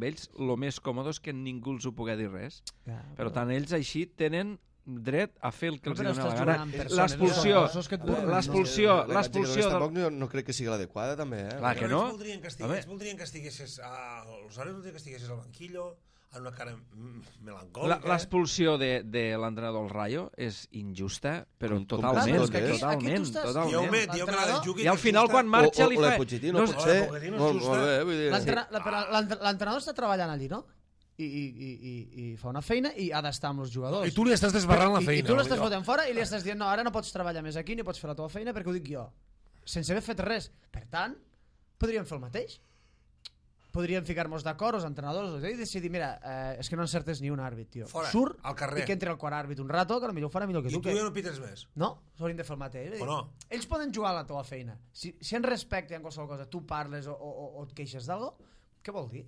ells, el més còmode és que ningú els ho pugui dir res. Ja, Per tant, ells així tenen dret a fer el que els Però dona la estàs gana. jugant amb persones, L'expulsió, no són que et burlen, l'expulsió, La imatge que dones del... tampoc no crec que sigui l'adequada, també, Clar que no. Ells voldrien que estiguessis els àrbitres voldrien que estiguessis al banquillo amb una cara melancòlica. L'expulsió de l'entrenador del Rayo és injusta, però Com totalment, tot, eh? totalment. Diu que la del Juki I al final quan marxa li O la fa... de Pochettino, No, potser... Pochettino és Molt justa. bé, vull dir... L'entrenador està treballant allí, no? I fa una feina i ha d'estar amb els jugadors. I tu li estàs desbarrant la feina. I tu l'estàs fotent fora i li estàs dient no, ara no pots treballar més aquí ni pots fer la teva feina perquè ho dic jo, sense haver fet res. Per tant, podríem fer el mateix. Podríem ficar-nos d'acord, els entrenadors, i decidir, mira, és que no encertes ni un àrbit, tio. Fora, surt al carrer. i que entri al quart àrbit un rato, que potser ho farà millor que I tu. tu ja no pites més. No, s'haurien de fer el mateix. O no? Ells poden jugar a la teva feina. Si en respecte en qualsevol cosa tu parles o et queixes d'algo, què vol dir?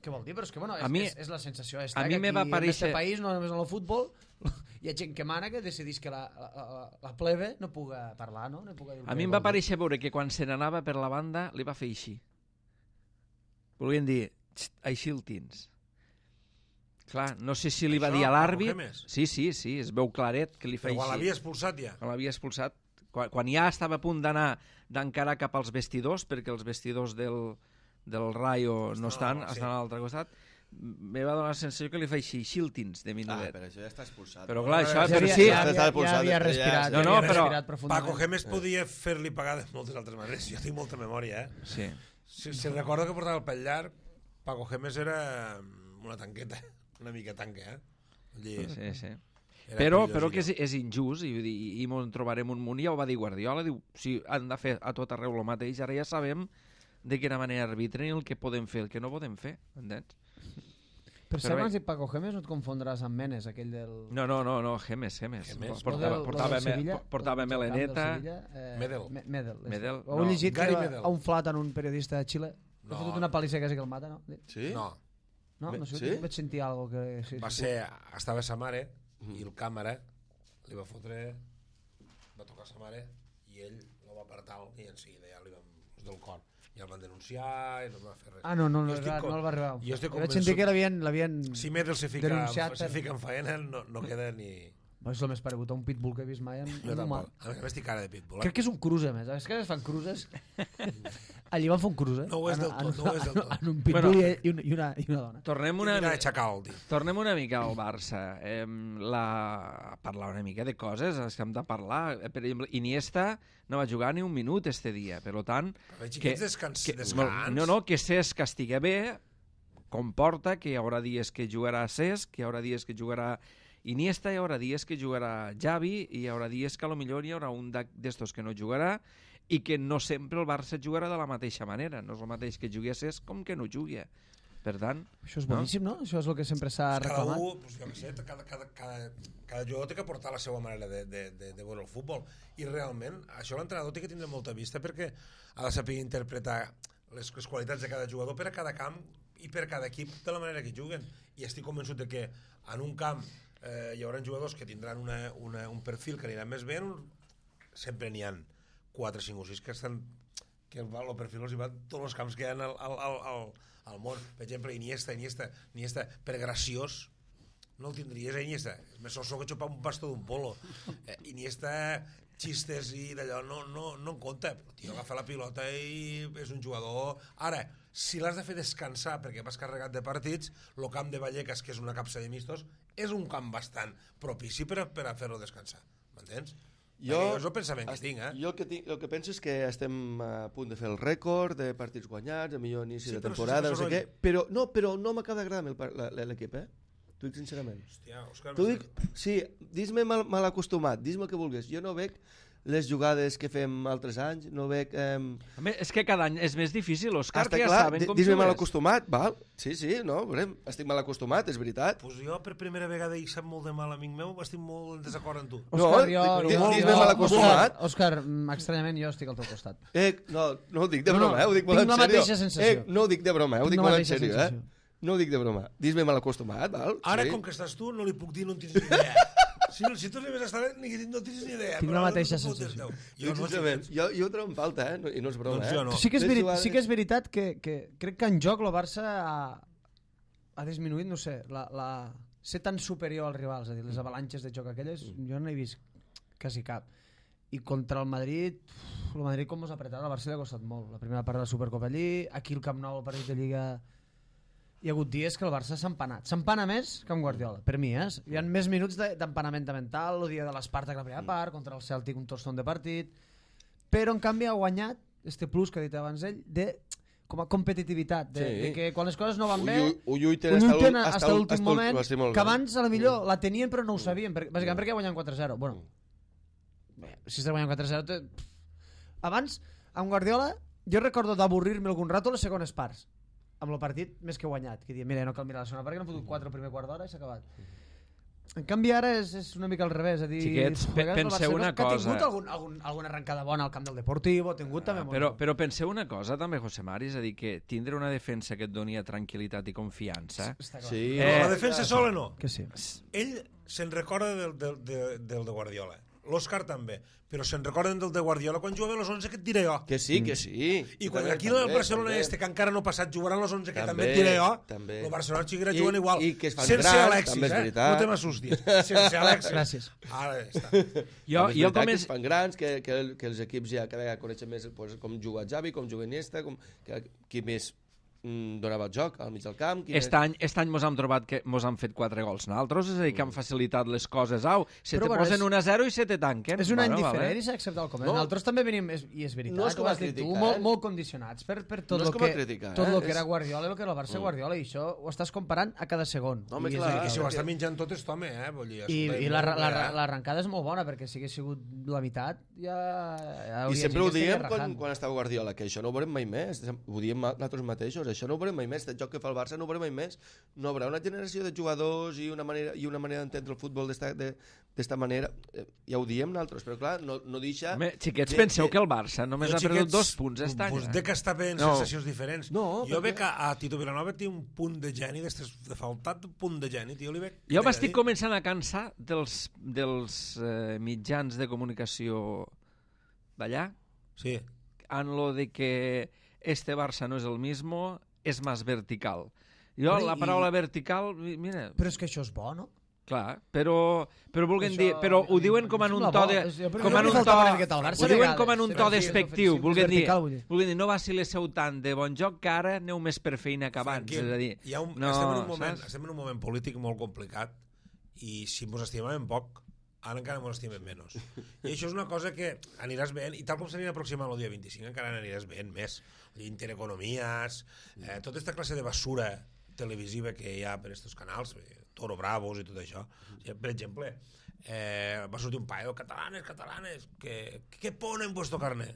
Què vol dir? Però és que, bueno, és la sensació. A mi me va aparèixer... En aquest país, no només en el futbol, hi ha gent que mana que decidís que la plebe no puga parlar, no? A mi em va aparèixer veure que quan se n'anava per la banda li va fer així. Volien dir, així el tins. Clar, no sé si li va dir a l'àrbit... Sí, es veu claret que li fa així. Però quan l'havia expulsat ja. Quan l'havia expulsat, quan ja estava a punt d'encarar cap als vestidors, perquè els vestidors del Rayo no estan a l'altre costat, me va donar la sensació que li fa així xiltins de minudet. Però això ja està expulsat. Però clar, això... Ja havia respirat. No, però... Paco Gémez podia fer-li pagar de moltes altres maneres. Jo tinc molta memòria, Sí. Si recordo que portava el pell llarg, Paco Gémez era una tanqueta, una mica tanca, Sí. Però que és injust i ens trobarem un munt. Ja ho va dir Guardiola, diu, si han de fer a tot arreu el mateix, ara ja sabem de quina manera arbitren i el que podem fer, el que no podem fer, entens? Per si abans dit Paco Gémez no et confondràs amb Menes, aquell del... No, Gémez. Portava meleneta. Medel. Heu llegit que a un flat en un periodista de Xile ha fotut una palissa quasi que el mata, no? Sí? No. No sé, vaig sentir alguna cosa que... Va ser, estava sa mare i el càmera li va fotre, va tocar sa mare i ell el va apartar i en seguida ja li vam del cor. I el van denunciar i no va fer res. No el va arribar. Jo estic vaig sentir que l'havien si Medel se fica en faena no queda ni... És el més paregut a un pitbull que he vist mai en jo un humà. A més estic cara de pitbull. Crec que és un cruise, a més. És que es fan cruises. Allí van fer un cruise. No ho és del tot. En un pitbull i una dona. Tornem una mica al Barça. Parlar una mica de coses que hem de parlar. Per exemple, Iniesta no va jugar ni un minut este dia. Per tant... Descans. No, que Cesc estigui bé comporta que hi haurà dies que jugarà Cesc, que hi haurà dies que jugarà Iniesta, hi haurà dies que jugarà Xavi i hi haurà dies que potser hi haurà un d'estos que no jugarà i que no sempre el Barça jugarà de la mateixa manera. No és el mateix que jugui a Cesc com que no jugui. Per tant... Això és boníssim, no? Això és el que sempre s'ha reclamat. Cada jugador té que portar la seva manera de veure el futbol i realment això l'entrenador té que tindre molta vista perquè ha de saber interpretar les qualitats de cada jugador per a cada camp i per a cada equip de la manera que juguen. I estic convençut de que en un camp hi haurà jugadors que tindran un perfil que anirà més bé, sempre n'hi ha 4, 5 o 6 que el perfil els hi va tots els camps que hi ha al món. Per exemple, Iniesta per graciós no el tindries a Iniesta, és més soso que xupar un bastó d'un polo. Iniesta xistes i d'allò no en compta. El tio agafa la pilota i és un jugador... Ara, si l'has de fer descansar perquè vas carregat de partits, el camp de Vallecas, que és una capsa de mistos, és un camp bastant propici per a fer-lo descansar. M'entens? És el pensament que tinc, Jo el que penso és que estem a punt de fer el rècord de partits guanyats, el millor inici de temporada, no sé què, però no m'acaba d'agradar l'equip, T'ho dic sincerament. Hòstia, Òscar... Sí, dis-me mal acostumat, dis-me el que vulguis. Jo no veig les jugades que fem altres anys, no veig... És que cada any és més difícil, Òscar, que ja saben com dis-me mal acostumat, val? Sí, no, estic mal acostumat, és veritat. Pues jo per primera vegada i sap molt de mal, amic meu, estic molt en desacord amb tu. Dis-me mal acostumat. Òscar, estranyament jo estic al teu costat. No ho dic de broma, ho dic molt en sèrio. Tinc la mateixa sensació. No ho dic de broma, ho dic molt en sèrio, No ho dic de broma. Dis-me mal acostumat, val? Ara, com que estàs tu, no li puc dir, no en tens ni idea. Si tu arribes a estar no tens ni idea. Tinc la mateixa sensació. Jo ho trobo en falta, i no és broma. Sí que és veritat que crec que en joc el Barça ha disminuït, no sé, ser tan superior als rivals, és a dir, les avalanxes de joc aquelles, jo no he vist quasi cap. I contra el Madrid com us ha apretat, al Barça li ha costat molt. La primera part de la Supercopa allí, aquí al Camp Nou, el partit de Lliga... Hi ha hagut dies que el Barça s'ha empanat. S'empana més que amb Guardiola, per mi, Hi ha més minuts d'empanament mental, el dia de l'Esparta que la primera part, contra el Celtic un tostón de partit, però en canvi ha guanyat este plus que ha dit abans ell, com a competitivitat, de que quan les coses no van bé, ho lluiten fins a l'últim moment, que abans a la millor la tenien però no ho sabien, bàsicament perquè guanyen 4-0. Bueno, si estàs guanyant 4-0... Abans, amb Guardiola, jo recordo d'avorrir-me algun rato les segones parts, amb el partit més que guanyat, que diuen, mira, no cal mirar la segona part, que n'han fotut 4 el primer quart d'hora i s'ha acabat. En canvi, ara és una mica al revés. És a dir, Xiquets, penseu una que ha cosa. tingut alguna arrencada bona al camp del Deportivo, ha tingut també molt. Però penseu una cosa també, José Mari, és a dir, que tindre una defensa que et donia tranquil·litat i confiança... Està clar. Sí, La defensa sola no. Que sí. Ell se'n recorda del de Guardiola. L'Òscar també. Però se'n recorden del de Guardiola quan jugava a los 11 que et diré jo. que sí. I quan aquí el Barcelona que encara no ha passat jugaran los 11 que també et També, diré jo, també. el Barcelona seguirà jugant igual. I que es fan sense grans, Alexis, també és veritat. no te m'assustis. Sense Alexis. Gràcies. Ara ja està. Jo Jo com que és... es fan grans, que els equips ja cada vegada coneixen més pues, com juga Xavi, com juga Iniesta, qui més donava el joc al mig del camp. Aquest any mos hem trobat que mos han fet 4 gols nosaltres, és a dir, que han facilitat les coses. Se Però te bueno, posen 1-0 i se te tanquen. És un any Bueno, diferent vale. i s'ha acceptat el coment. No. Nosaltres també venim, i és veritat, No és com ho a has dit tu, criticar, molt condicionats per tot No és el com a que, criticar, tot el que és- era Guardiola i el que era el Barça Guardiola, i això ho estàs comparant a cada segon. No, home, I és clar. veritat. I si ho està menjant tot és home, Vull dir, escolta, I molt bé, l'arrencada és molt bona, perquè si hagués sigut la meitat, ja I hauria sempre ho gent que estaria diem rajant. quan estava Guardiola, que això no ho veurem mai més. Ho diem nosaltres mateixos, això no ho veurem mai més. El joc que fa el Barça no ho veurem mai més. No hi haurà una generació de jugadors i una manera d'entendre el futbol d'esta manera. Ja ho diem nosaltres, però clar, no deixa... Home, xiquets, penseu que el Barça només Jo, ha perdut xiquets, 2 punts aquest any. Pues de que està veient No. sensacions diferents. No, jo perquè- veig que a Tito Vilanova té un punt de geni, de faltat un punt de geni, tio, li veig... Jo m'estic començant a cansar dels mitjans de comunicació d'allà, Sí. en lo de que este Barça no és el mismo, és més vertical. Jo, Però la i- paraula vertical, mira, Però és que això és bo, no? clar, però vulguin Això- dir, però ho diuen com en un sembla to bo. de... Però Com jo en li un faltava to... una miqueta al Barça Ho a diuen vegades, com en un sí, to sí, despectiu, és vulguin dir, vertical, vull dir. vulguin dir, no vacil·leu tant de bon joc que ara aneu més per feina que abans, Franquim, és a dir... hi ha un, no, saps? estem en un moment polític molt complicat i si ens estimàvem poc, ara encara ens estimem menys. I això és una cosa que aniràs veient, i tal com s'anirà aproximant el dia 25, encara n'aniràs veient més. Intereconomies, tota aquesta classe de basura televisiva que hi ha per aquests canals, Toro Bravos i tot això. Per exemple, va sortir un paio, catalanes, ¿qué pone en vuestro carnet?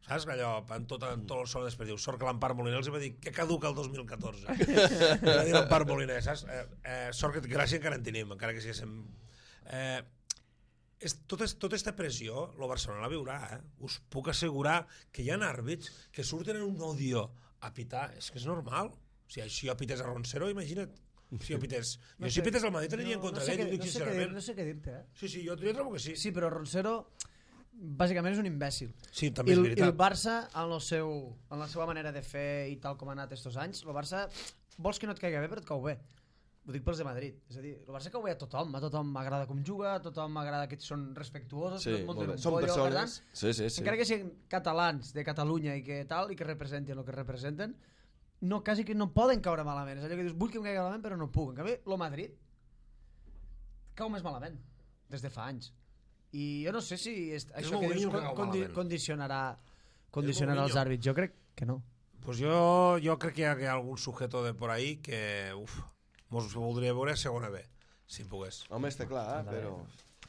Saps que allò, en tot el sol després diu, sort que l'Empar Moliner els va dir que caduca el 2014. Va dir l'Empar Moliner, saps? Sort que gràcia encara en tenim, encara que siguéssim... Tota aquesta pressió, el Barcelona la viurà, Us puc assegurar que hi ha àrbits que surten en un odio a pitar, és que és normal. O sigui, si jo pités a Roncero, imagina't. Si jo pités... Si pités al Madrid aniria en contra d'ell, ho dic sincerament. No sé què dir-te, Sí, jo trobo que sí. Sí, però Roncero bàsicament és un imbècil. Sí, també és I el veritat. Barça, en la seva manera de fer i tal com ha anat estos anys, el Barça vols que no et caiga bé, però et cau bé. Ho dic pels de Madrid. És a dir, el Barça cau bé a tothom m'agrada com juga, a tothom m'agrada que són respectuosos, Sí, que et molt munten bé. un Són pollo, per persones... tant, Sí. encara que siguin catalans de Catalunya i que tal, i que representen el que representen, no, quasi que no poden caure malament. És allò que dius, vull que em caigui malament, però no puc. En canvi, el Madrid cau més malament, des de fa anys. I jo no sé si això que dius Mourinho que cau malament. condicionarà Mourinho. els àrbits. Jo crec que no. Pues jo crec que hi ha algun sujeto de por ahí que mos voldria veure a segona B, si pogués. Home, està clar, però...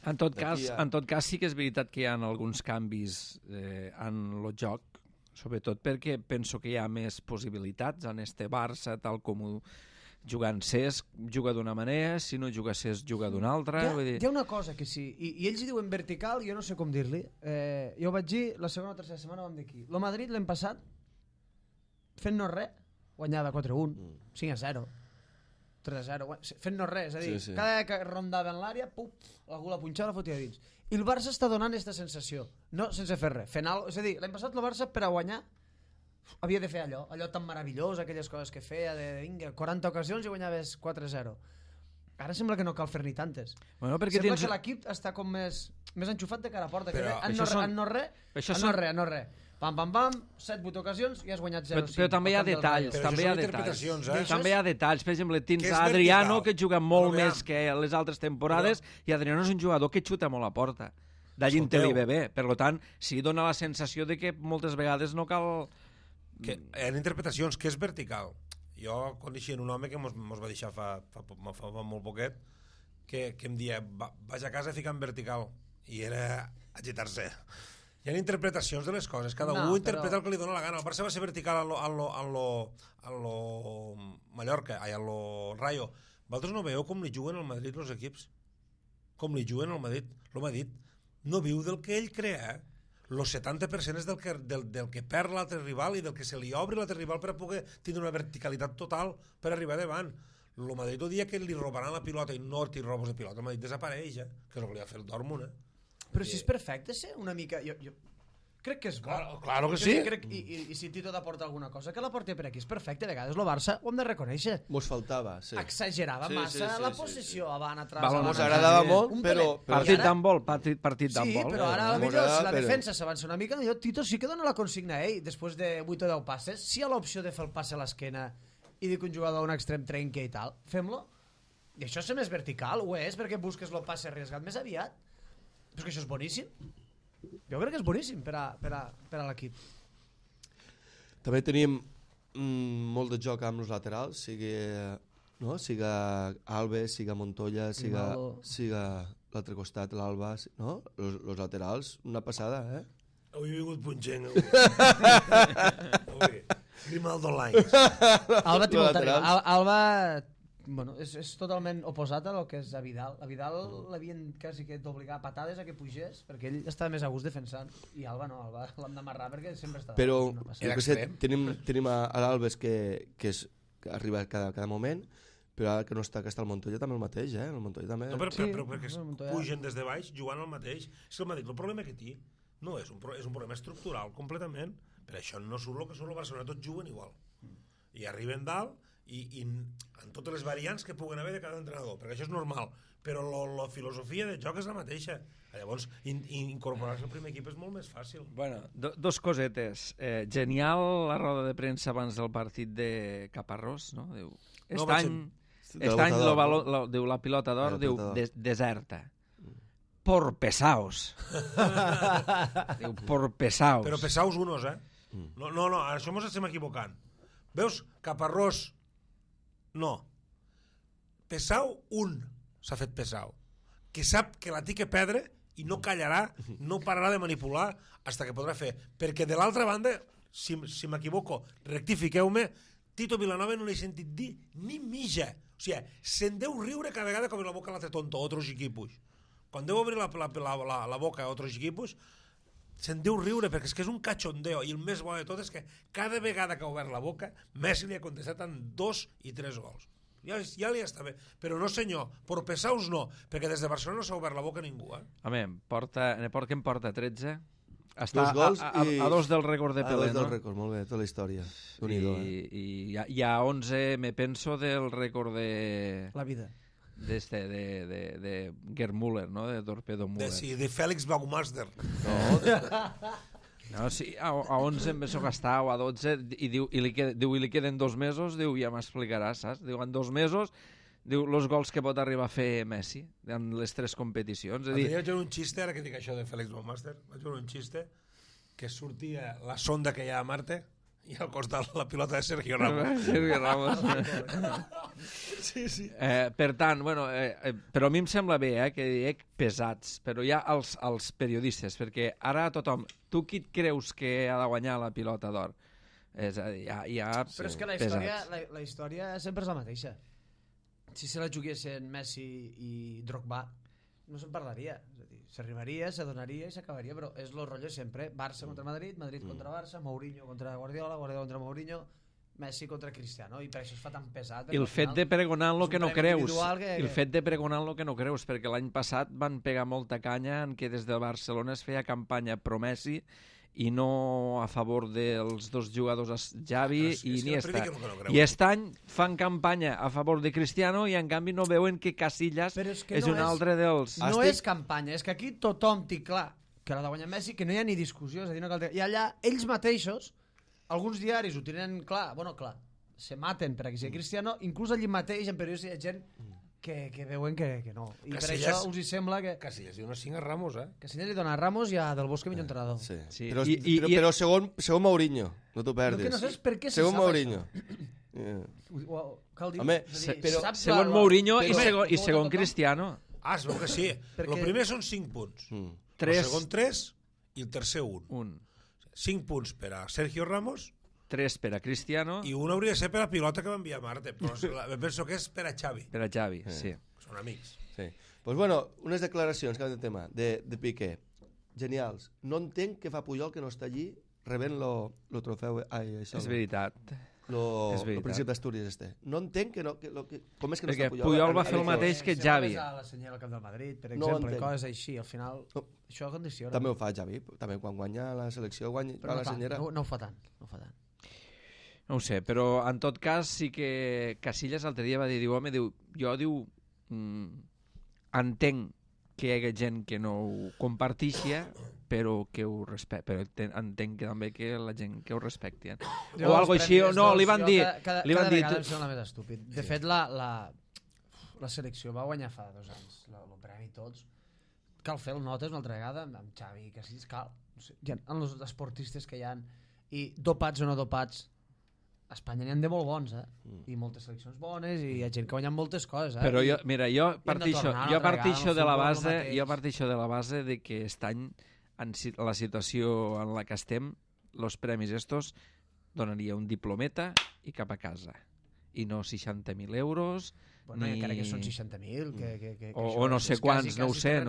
En tot D'aquí cas, sí que és veritat que hi ha alguns canvis en el joc, sobretot perquè penso que hi ha més possibilitats en este Barça, tal com ho jugant Cesc, juga d'una manera, si no juga Cesc, juga d'una altra. Vull dir... Hi ha una cosa que sí, i ells hi diuen vertical, jo no sé com dir-li. Jo ho vaig dir, la segona o tercera setmana vam dir aquí. El Madrid l'hem passat fent-nos res, guanyava 4-1, 5-0, 3-0, fent-nos res, és a dir, Sí. cada vegada que rondava en l'àrea, algú la punxava, la fotia dins. I el Barça està donant aquesta sensació, no sense fer res, fent és a dir, l'any passat el Barça per a guanyar havia de fer allò tan meravellós, aquelles coses que feia de vinga, 40 ocasions i guanyaves 4-0. Ara sembla que no cal fer ni tantes. Bueno, perquè Sembla tens... que l'equip està com més enxufat de cara a porta. Però Que no res. Pam, 7-8 ocasions i has guanyat 0-5. Però també hi ha detalls, Però també això hi ha són detalls. interpretacions, També hi ha detalls. Per exemple, tens Que és Adriano, vertical. que juga molt Però, més que les altres temporades, i Adriano és un jugador que xuta molt a porta. D'allí en té Escolteu. l'IBB. Per tant, sí dona la sensació de que moltes vegades no cal... Que hi ha interpretacions, que és vertical. Jo coneixia un home que mos va deixar fa molt poquet, que em dia, vaig a casa ficant vertical, i era agitar-se. Hi ha interpretacions de les coses, cada un interpreta el que li dona la gana. El Barça va ser vertical a lo Mallorca, a lo Rayo, vosaltres no veieu com li juguen al Madrid els equips? Com li juguen al Madrid? El Madrid no viu del que ell crea, el 70% és del que perd l'altre rival i del que se li obre l'altre rival per a poder tindre una verticalitat total per arribar davant. El Madrid el dia que li robaran la pilota i no té robos de pilota, el Madrid desapareix, que és el que li ha fet el Dortmund. Però si és perfecte ser una mica... Jo crec que és bo. Claro que sí. I si Tito t'aporta alguna cosa, que l'aporti per aquí. És perfecte, a vegades el Barça ho hem de reconèixer. Mos faltava, sí. Exagerava massa la possessió, avant, atrás... Mos agradava molt, però... Partit d'handbol, partit d'handbol. Sí, però ara potser si la defensa s'avança una mica, Tito sí que dona la consigna a ell, després de 8 o 10 passes, si hi ha l'opció de fer el passe a l'esquena i dir que un jugador a un extrem trenca i tal, fem-lo. I això és més vertical, ho és, perquè busques el passe arriesgat més aviat. Però és que això és boníssim. Jo crec que és boníssim per a l'equip. També tenim molt de joc amb els laterals, siga Alves, siga Montoya, siga l'altre costat, l'Alba, no? Els laterals, una passada, eh? Avui he vingut punxent. Grimaldo Lines. Alba bueno, és totalment oposat a lo que és a Vidal. A Vidal l'havien quasi que d'obligar a patades a que pugés, perquè ell estava més a gust defensant, i Alba no, Alba l'hem d'amarrar perquè sempre està... Però jo que sé, tenim a l'Alves que arriba cada moment, però ara que no està, que està el Montoya també el mateix, el Montoya també... No, però perquè pugen des de baix jugant el mateix. És que el problema que té no és un problema estructural completament, per això no surt el que surt el Barcelona, tots juguen igual. I arriben dalt i en totes les variants que puguen haver de cada entrenador, perquè això és normal, però la filosofia de joc és la mateixa. Llavors, incorporar-se al primer equip és molt més fàcil. Bueno, dos cosetes. Genial la roda de premsa abans del partit de Caparrós, no? Diu, diu la pilota d'or, diu, deserta. Por pesaos. Diu, por pesaos. Però pesaos unos, No, això mos estem equivocant. Veus, Caparrós, no. Pesau, s'ha fet pesau. Que sap que la té que perdre i no callarà, no pararà de manipular hasta que podrà fer. Perquè de l'altra banda, si m'equivoco, rectifiqueu-me, Tito Vilanova no l'he sentit dir ni mija. O sigui, se'n deu riure cada vegada com la boca l'altre tonto a otros equipos. Quan deu obrir la boca a otros equipos, se'n deu riure, perquè és que és un cachondeo, i el més bo de tot és que cada vegada que ha obert la boca, Messi li ha contestat amb 2 i 3 gols. Ja li està bé. Però no, senyor, por pesaus no, perquè des de Barcelona no s'ha obert la boca ningú. Home, que em porta 13? Està 2 gols a 2 del rècord de Pelé, no? A 2 del rècord, molt bé, tota la història. I hi ha 11, me penso, del rècord de... La vida. de Gerd Müller, no? De Torpedo Müller. De Félix Baumeister. No, sí, a 11 em penso que està, o a 12, i li queden 2 mesos, diu, ja m'explicaràs, saps? Diu, en 2 mesos, diu, els gols que pot arribar a fer Messi en les 3 competicions. Vaig veure un xiste, ara que dic això de Félix Baumeister, vaig veure un xiste que sortia la sonda que hi ha a Marte i al costat la pilota de Sergio Ramos. Sergio Ramos. Sí. Per tant, bueno, però a mi em sembla bé que dic pesats, però ja els periodistes, perquè ara tothom, tu qui et creus que ha de guanyar la pilota d'or? És a dir, hi ha però és que la història sempre és la mateixa. Si se la juguessin Messi i Drogba, no se'n parlaria. És a dir, s'arribaria, s'adonaria i s'acabaria, però és el rotllo sempre. Barça contra Madrid, Madrid contra Barça, Mourinho contra Guardiola, Guardiola contra Mourinho, Messi contra Cristiano, i per això es fa tan pesat. I el fet de pregonar lo que no creus, el fet de pregonar lo que no creus, perquè l'any passat van pegar molta canya en què des de Barcelona es feia campanya pro-Messi i no a favor dels 2 jugadors, Xavi i Iniesta. I aquest any fan campanya a favor de Cristiano i en canvi no veuen que Casillas és un altre dels... No és campanya, és que aquí tothom té clar que l'ha de guanyar Messi, que no hi ha ni discussió, és a dir, no cal... I allà ells mateixos, alguns diaris ho tenen clar, se maten per a que sigui Cristiano, inclús allí mateix en periodistes hi ha gent que veuen que no. I per això us hi sembla que... Casillas li dona 5 a Ramos, Casillas li dona a Ramos i a Del Bosque millor entrenador. Sí. Però segon Mourinho, no t'ho perdis. No saps per què se segon sap Mourinho. Cal dir... Home, segon Mourinho i segon Cristiano. Es veu que sí. El primer són 5 punts. El segon 3 i el tercer 1. 5 punts per a Sergio Ramos, 3 per a Cristiano I un hauria de ser per a pilota que va enviar Marte, però penso que és per a Xavi. per a Xavi, sí. Són amics. Sí. Pues bueno, unes declaracions, canvi de tema, de Piqué. Genials. No entenc què fa Puyol que no està allí rebent lo trofeu... Ai, això, És veritat. Lo És veritat. Príncipe d'Astúries com és que no Perquè està Puyol va fer el mateix que Xavi. A la senyal al camp del Madrid, per No exemple, entenc. coses així, al final... No. Això condiciona. També ho fa Xavi, també quan guanya la selecció va Però la senyera. no ho fa tant, no ho fa tant. No ho sé, però en tot cas sí que Casillas l'altre dia va dir, jo entenc que hi hagi gent que no ho compartixia, però que ho però entenc que també que la gent que ho respecti. O algo així, o no, li van dir... Cada vegada em sembla més estúpid. De fet, la selecció va guanyar fa 2 anys el premi tots. Cal fer el notes una altra vegada amb Xavi i Casillas, cal. No sé, en els esportistes que hi ha, i dopats o no dopats, a Espanya n'hi ha de molt bons, i moltes seleccions bones, i hi ha gent que guanya moltes coses, Però jo parteixo de la base de que aquest any, en la situació en la que estem, els premis estos donaria un diplometa i cap a casa. I no 60.000 euros, bueno, ni... encara que són 60.000, o no sé quants, no ho sé el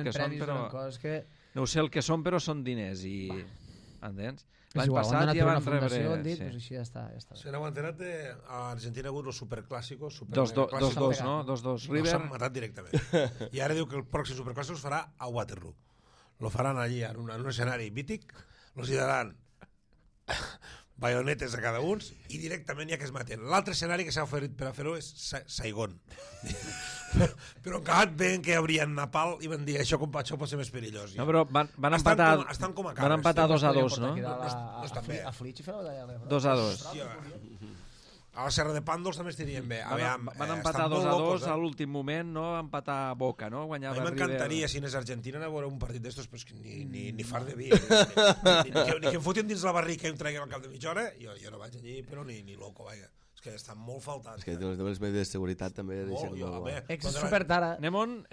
que són, però... Que... No ho sé el que són, però són diners, i... Entens? És L'any igual, passat ja van rebre... rebre... Doncs així ja està. Se n'heu enterat a Argentina ha hagut els superclàssicos. 2-2, no? 2-2 River. No s'han matat directament. I ara diu que el pròxim superclàssic es farà a Waterloo. Lo faran allí, en un escenari mític, los hi daran baionetes a cada uns i directament ja que es maten. L'altre escenari que s'ha oferit per a fer-ho és Saigon. Però encara veien que hi haurien Napal i van dir això pot ser més perillós. No, però van empatar 2-2, no? No estan bé. A Flitx i fer la batalla. 2-2. A la Serra de Pàndols també estirien bé. Van empatar 2-2 a l'últim moment, no? Empatar Boca, no? A mi m'encantaria, si anés a Argentina, anar a veure un partit d'estos, però ni far de vi. Ni que em fotin dins la barrica i em treguin al cap de mitja hora, jo no vaig allí, però ni loco, vaja. És que estan molt faltats. És que les medides de seguretat també deixen molt... És supertara. Anem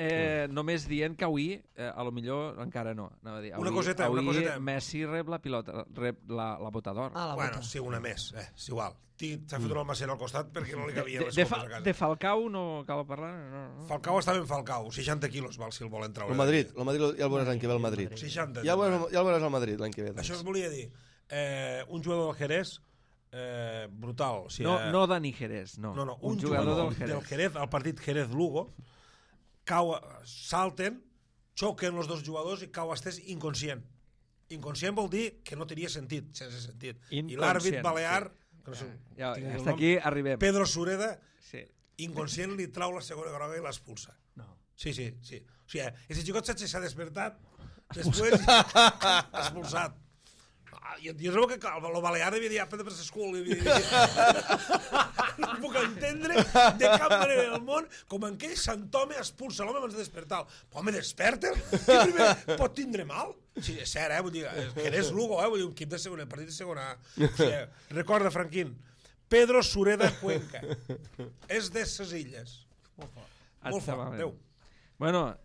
només dient que avui, a lo millor encara no. Una coseta. Avui Messi rep la pilota, rep la bota d'or. Bueno, sí, una més, és igual. S'ha fotut el Macià al costat perquè no li cabia les copes a casa. De Falcao no cal parlar? No. Falcao està ben Falcao, 60 quilos val si el volen treure. El Madrid ja el veuràs l'any que ve al Madrid. 60. Ja el veuràs al Madrid l'any que ve. Això es volia dir. Un jugador del Jerez brutal. No Dani Jerez, no. Un jugador del Jerez, al partit Jerez-Lugo, salten, xoquen els dos jugadors i cau estès inconscient. Inconscient vol dir que no tenia sentit, sense sentit. I l'àrbit balear... Hasta aquí arribem. Pedro Sureda, inconscient, li trau la segona groga i l'expulsa. Sí. O sigui, ese xicot s'ha despertat, després expulsat. Jo trobo que el balear devia dir aprendre per l'escola. No puc entendre de cap manera del món com en aquell Sant Home expulsa l'home abans de despertar. Home, desperta? Que primer pot tindre mal? Sí, és cert, vull dir, que eres Lugo, vull dir, un equip de segona, partit de segona. O sigui, recorda, Franquín, Pedro Sureda Cuenca. És de ses illes. Molt fort. Adéu. Bueno,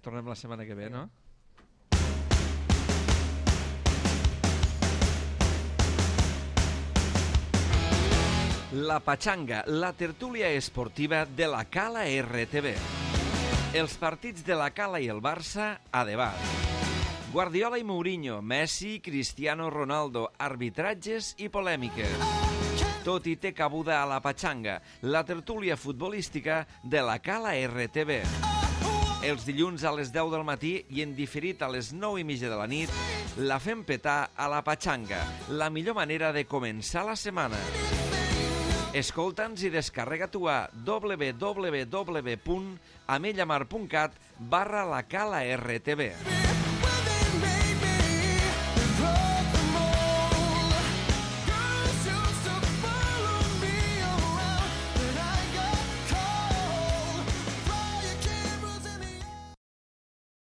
tornem la setmana que ve, no? La Pachanga, la tertúlia esportiva de la Cala RTV. Els partits de la Cala i el Barça a debat. Guardiola i Mourinho, Messi, Cristiano Ronaldo, arbitratges i polèmiques. Tot hi té cabuda a la Pachanga, la tertúlia futbolística de la Cala RTV. Els dilluns a les 10 del matí i en diferit a les 9:30 de la nit, la fem petar a la Pachanga, la millor manera de començar la setmana. Escolta'ns i descarrega-t'ho a www.amellamar.cat/la Cala RTV.